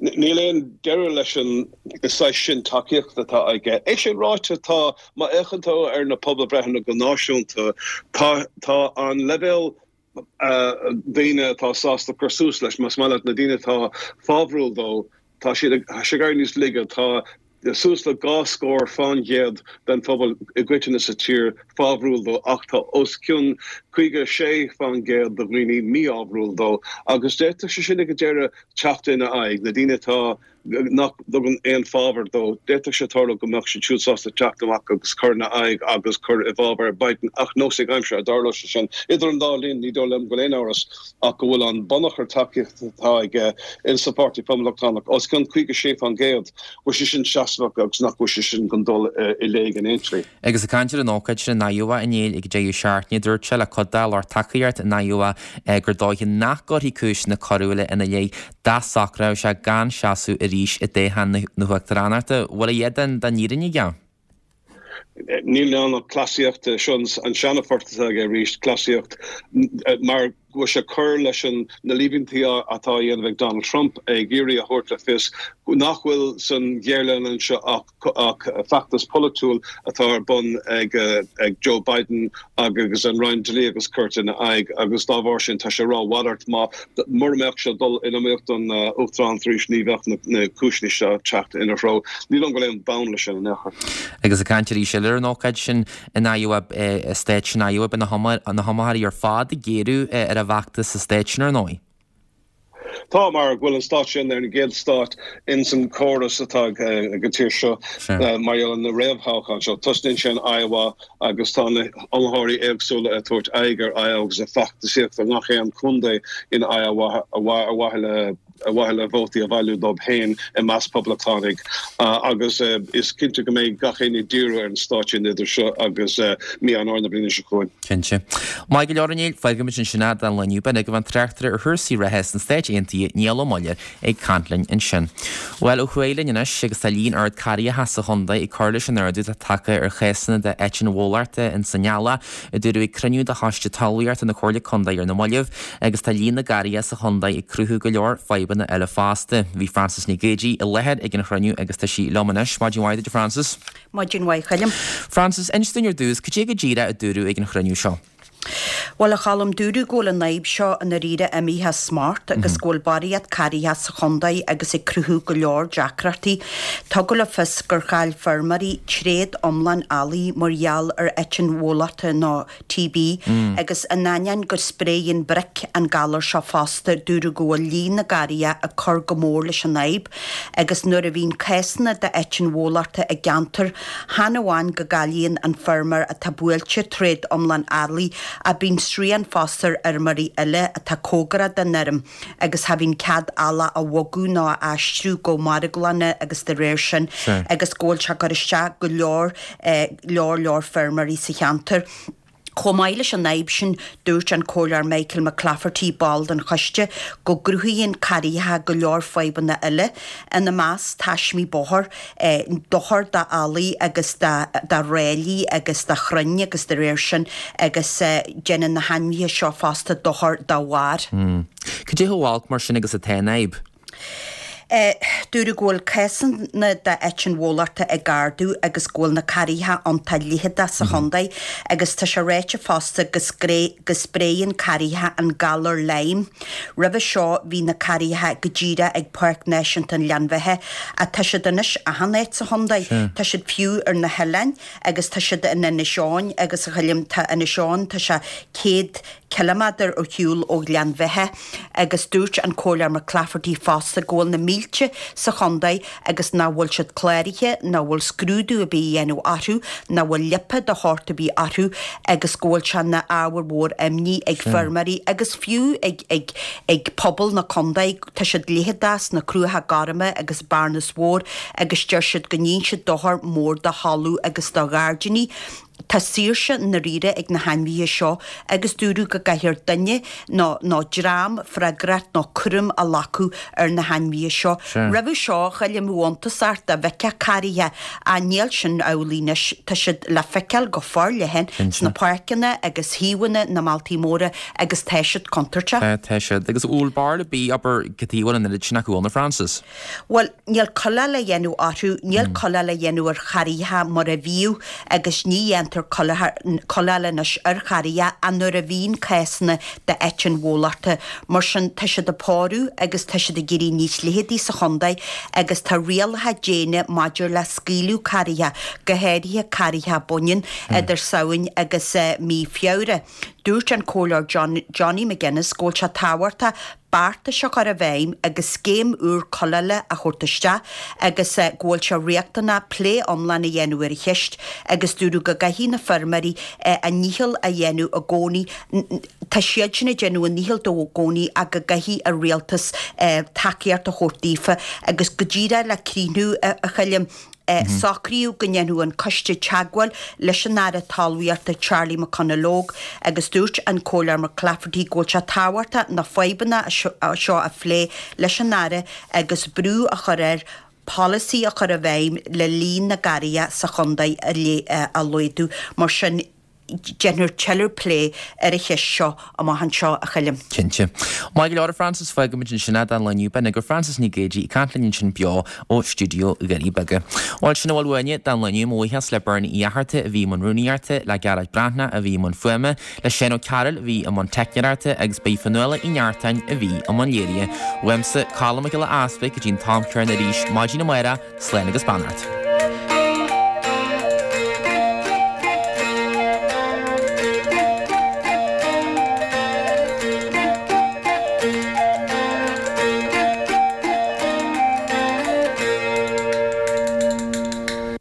Níl aon deireadh leis an saghas sin tacaíochta atá aige. É sin ráite, tá, má fhéachann tú ar na pobalbhreitheanna go náisiúnta, tá, tá an leibhéal daoine atá sásta cur suas leis, más maith leat, na daoine atá fábhrúil dó, tá siad ag, tá sé ag éirí níos laige. Tá suas le dhá scór fán gcéad den phobal i gcoitinne sa tír fábhrúil dó ach tá os cionn caoga a sé fán gcéad de dhaoine mífhábhrúil dó agus d'fhéadfadh sé sin ag an deireadh teacht ina aghaidh, na daoine atá nach dtugann aon fábhar dó, d'fhéadfadh sé tarlú go mbeadh siad siúd sásta teacht amach agus cur ina aghaidh agus cur i bhfábhar Biden ach nós ag aimsir a dtarlóidh sé sin. Idir an dá linn, ní dóigh liom go bhfuil aon amhras ach go bhfuil an bunachar tacaíochta atá aige in sa Pháirtí Poblachtánach os cionn caoga sé fán gcéad, go bhfuil sé sin seasmhach agus nach bhfuil sé sin chun dul i léig in aon tslí. Agus ag caint ar an ócáid sin in Iowa inné ag an deireadh seachtaine, dúirt sé le cuid dá lucht tacaíochta in Iowa gur dóiche nach gcuirfí cúiseanna coiriúla ina leith dá socródh sé gan seasamh arís i dtoghchán na huachtaránachta. Bhfuil a dhath den fhírinne aige? Níl ann ach cleasaíocht, seo an seana-phort atá aige arís, cleasaíocht mar go bhfuil sé ag cur leis na líomhaintí atá á dhéanamh ag Donald Trump, ag iarraidh a thabhairt le fios nach bhfuil san ghéarleanúint anseo ach feachtas polaitiúil atá ar bun ag Joe Biden agus an Roinn Dlí agus Cirt ina aghaidh agus dá bharr sin tá sé ag rá a mhalairt má mura mbeadh sé ag dul in iomaíocht don uachtaránacht arís ní bheadh na cúiseanna seo ag teacht ina threo. Ní dóigh liom go bhfuil aon bhonn leis sin in aon chor. Agus ag caint arís eile ar an ócáid sin in Iowa, i stát sin Iowa, beidh na hiomaitheoirí ar fad ag géarú ar an bhfeachtas sa stát sin ar ndóigh. Tá, mar go bhfuil an stát sin ar an gcéad stát ins an córas atá ag an tír seo mar gheall ar na réamhthoghcháin seo. Tosnaíonn sé in Iowa agus tá na hiomaitheoirí éagsúla ag tabhairt aghaidh ar Iowa agus ag feachtasaíocht i ngach aon chontae in Iowa ar mhaithe le ar mhaithe le vótaí a bhailiú dóibh féin i measc poblachtánaigh agus is cinnte go mbeidh gach éinne ag díriú ar an stát sin idir seo agus mí Eanáir na bliana seo chugainn. Cinnte. Maith go leor, a Néill, fágfaimid ansin é don lá inniu. B'in agaibh an tráchtaire ar chúrsaí reatha sna Stáit Aontaithe, Niall Ó Muilleoir, ag caint linn ansin. Bhuel, ó thuaidh linn anois agus tá líon ard carraigheacha sa chontae ag cur leis an ardú atá tagtha ar chásanna de eitinn bhólachta in san eallach, a dúradh ag cruinniú de Choiste Talmhaíochta na Comhairle Contae ar na mallaibh, agus tá líon na gcarraigheacha sa chontae ag cruthú go leor fadhbanna eile fosta. Bhí Frances Nic Géadaigh i láthair ag an chruinniú agus tá sí liom anois. Maidin mhaith duit, a Frances. Maidin mhaith, a Choilm. Frances, inis dúinn ar dtús, cad é go díreach a dúradh ag an chruinniú seo? Bhuel, a Choilm, dúradh go bhfuil an fhadhb seo i ndáiríre imithe as smacht agus go bhfuil barraíocht carraigeacha sa chontae agus ag cruthú go leor deacrachtaí. Tugadh le fios gur chaill feirmeoirí tréad iomlán eallaigh mar gheall ar eitinn bhólachta nó T B agus in ainneoin go spréigheann bric an galar seo fosta, dúradh go bhfuil líon na gcarraigeacha ag cur go mór leis an fhadhb agus nuair a bhíonn cásanna d'eitinn bhólachta i gceantar, chan amháin go gcailleann an feirmeoir atá buailte tréad iomlán eallaigh ach bíonn srian fosta ar fheirmeoirí eile atá cóngarach don fheirm agus cha bhíonn cead eallach a bhogadh nó a aistriú go marglanna agus de réir sin agus go bhfuil sé ag cur isteach go leor leor leor feirmeoirí sa cheantar. Chomh maith leis an fhadhb sin, dúirt an Comhairleoir Michael McClafferty, ball den choiste, go gcruthaíonn carraigheacha go leor fadhbanna eile, ina measc taismí bóthair, dochar d'eallaigh agus do ráillí agus do chrainn agus de réir sin agus déanann na hainmhithe seo fosta dochar dá bharr. Cad é chomh holc mar sin agus atá an fhadhb? Dúradh go bhfuil cásanna d'eitinn bhólachta ag ardú agus go bhfuil na carraigheacha iontach leitheadach sa chontae agus tá sé ráite fosta go go spréann carraigheacha an galar Lyme. Roimhe seo bhí na carraigheacha go díreach ag Páirc Náisiúnta an Ghleann Bheatha ach tá siad anois achan áit sa chontae. Tá siad fiú ar na hoileáin agus tá siad in Inis Eoghain agus a Choilm tá Inis Eoghain tá sé céad ciliméadar ar shiúl ó Ghleann Bheatha agus dúirt an Comhairleoir McClafferty fosta go bhfuil na mílte sa chontae agus nach bhfuil siad cláraithe, nach bhfuil scrúdú ar bith á dhéanamh orthu, nach bhfuil liopa de shórt ar bith orthu agus go bhfuil sé ina ábhar mhór imní ag feirmeoirí agus fiú ag ag ag pobal na contae. Tá siad leitheadach sna Cruacha Gorma agus Bearnas Mhór agus deir siad go ndéanann siad dochar mór do thalamh agus do ghairdíní. Tá saoirse i ndáiríre ag na hainmhithe seo agus dúradh go gcaithfear duine nó nó dream freagracht nó cúram a ghlacadh ar na hainmhithe seo. Roimhe seo, a Choilm, bheadh iontas ort dá bhfeicfeá carraigheacha ach níl sin amhlaidh anois. Tá siad le feiceáil go forleathan sna páirceanna agus thaobhanna na mbealtaí móra agus tá siad contúirteach. Tá, tá siad. Agus an bhfuil barúil ar bith, abair, cad chuige a bhfuil an oiread sin acu ann, a Frances? Bhuel, níl cuileáil á dhéanamh orthu, níl cuileáil á dhéanamh ar charraigheacha mar a bhíodh agus ní dhéantar cuileáil anois ar charraigheacha ach nuair a bhíonn cásanna d'eitinn bhólachta. Mar sin, tá siad ag pórú agus tá siad ag éirí níos leitheadaí sa chontae agus tá rialacha déine maidir le scaoileadh carraigheacha, go háirithe carraigheacha baineann, idir Samhain agus mí Feabhra. Dúirt an Comhairleoir Johnny McGuinness go bhfuil sé tábhachtach beartais a chur i bhfeidhm agus scéim úr cuileála a thabhairt isteach agus go bhfuil sé riachtanach plé iomlán a dhéanamh ar an cheist agus dúradh go gcaithfidh na feirmeoirí a ndícheall a dhéanamh i gcónaí Tá siadsan ag déanamh a ndícheall dó i gcónaí ach go gcaithfidh an rialtas tacaíocht a thabhairt daofa agus go díreach le críochnú a Choilm. Socraíodh go ndéanfadh an coiste teagmháil leis an Aire Talmhaíochta Charlie McConalogue agus dúirt an Comhairleoir McClafferty go bhfuil sé tábhachtach na fadhbanna seo a phlé leis an Aire agus brú a chur air polasaí a chur i bhfeidhm le líon na gcarraigeacha sa chontae a laghdú. Mar sin. Déanfar tuilleadh plé ar an cheist seo amach anseo, a Choilm. Cinnte. Maith go leor, a Frances, fágfaimid ansin é don lá inniu. B'in agaibh Frances Ní Géidigh ag caint linn ansin beo ó stiúideo Dhoirí Beaga. Bhuel, sin a bhfuil uainne don lá inniu. Mo bhuíochas le Bernie Uí Fhatharta a bhí i mbun rúnaíochta, le Gearóid Breathnach a bhí i mbun fuaime, le Shane Ó Cearúil a bhí i mbun teicneoireachta agus ba í Fionnuala Uí Neartáin a bhí i mbun léirithe. Uaimse, Colm Mac Giolla Easpaig, go dtí an t-am céanna arís maidin amárach, slán agus beannacht.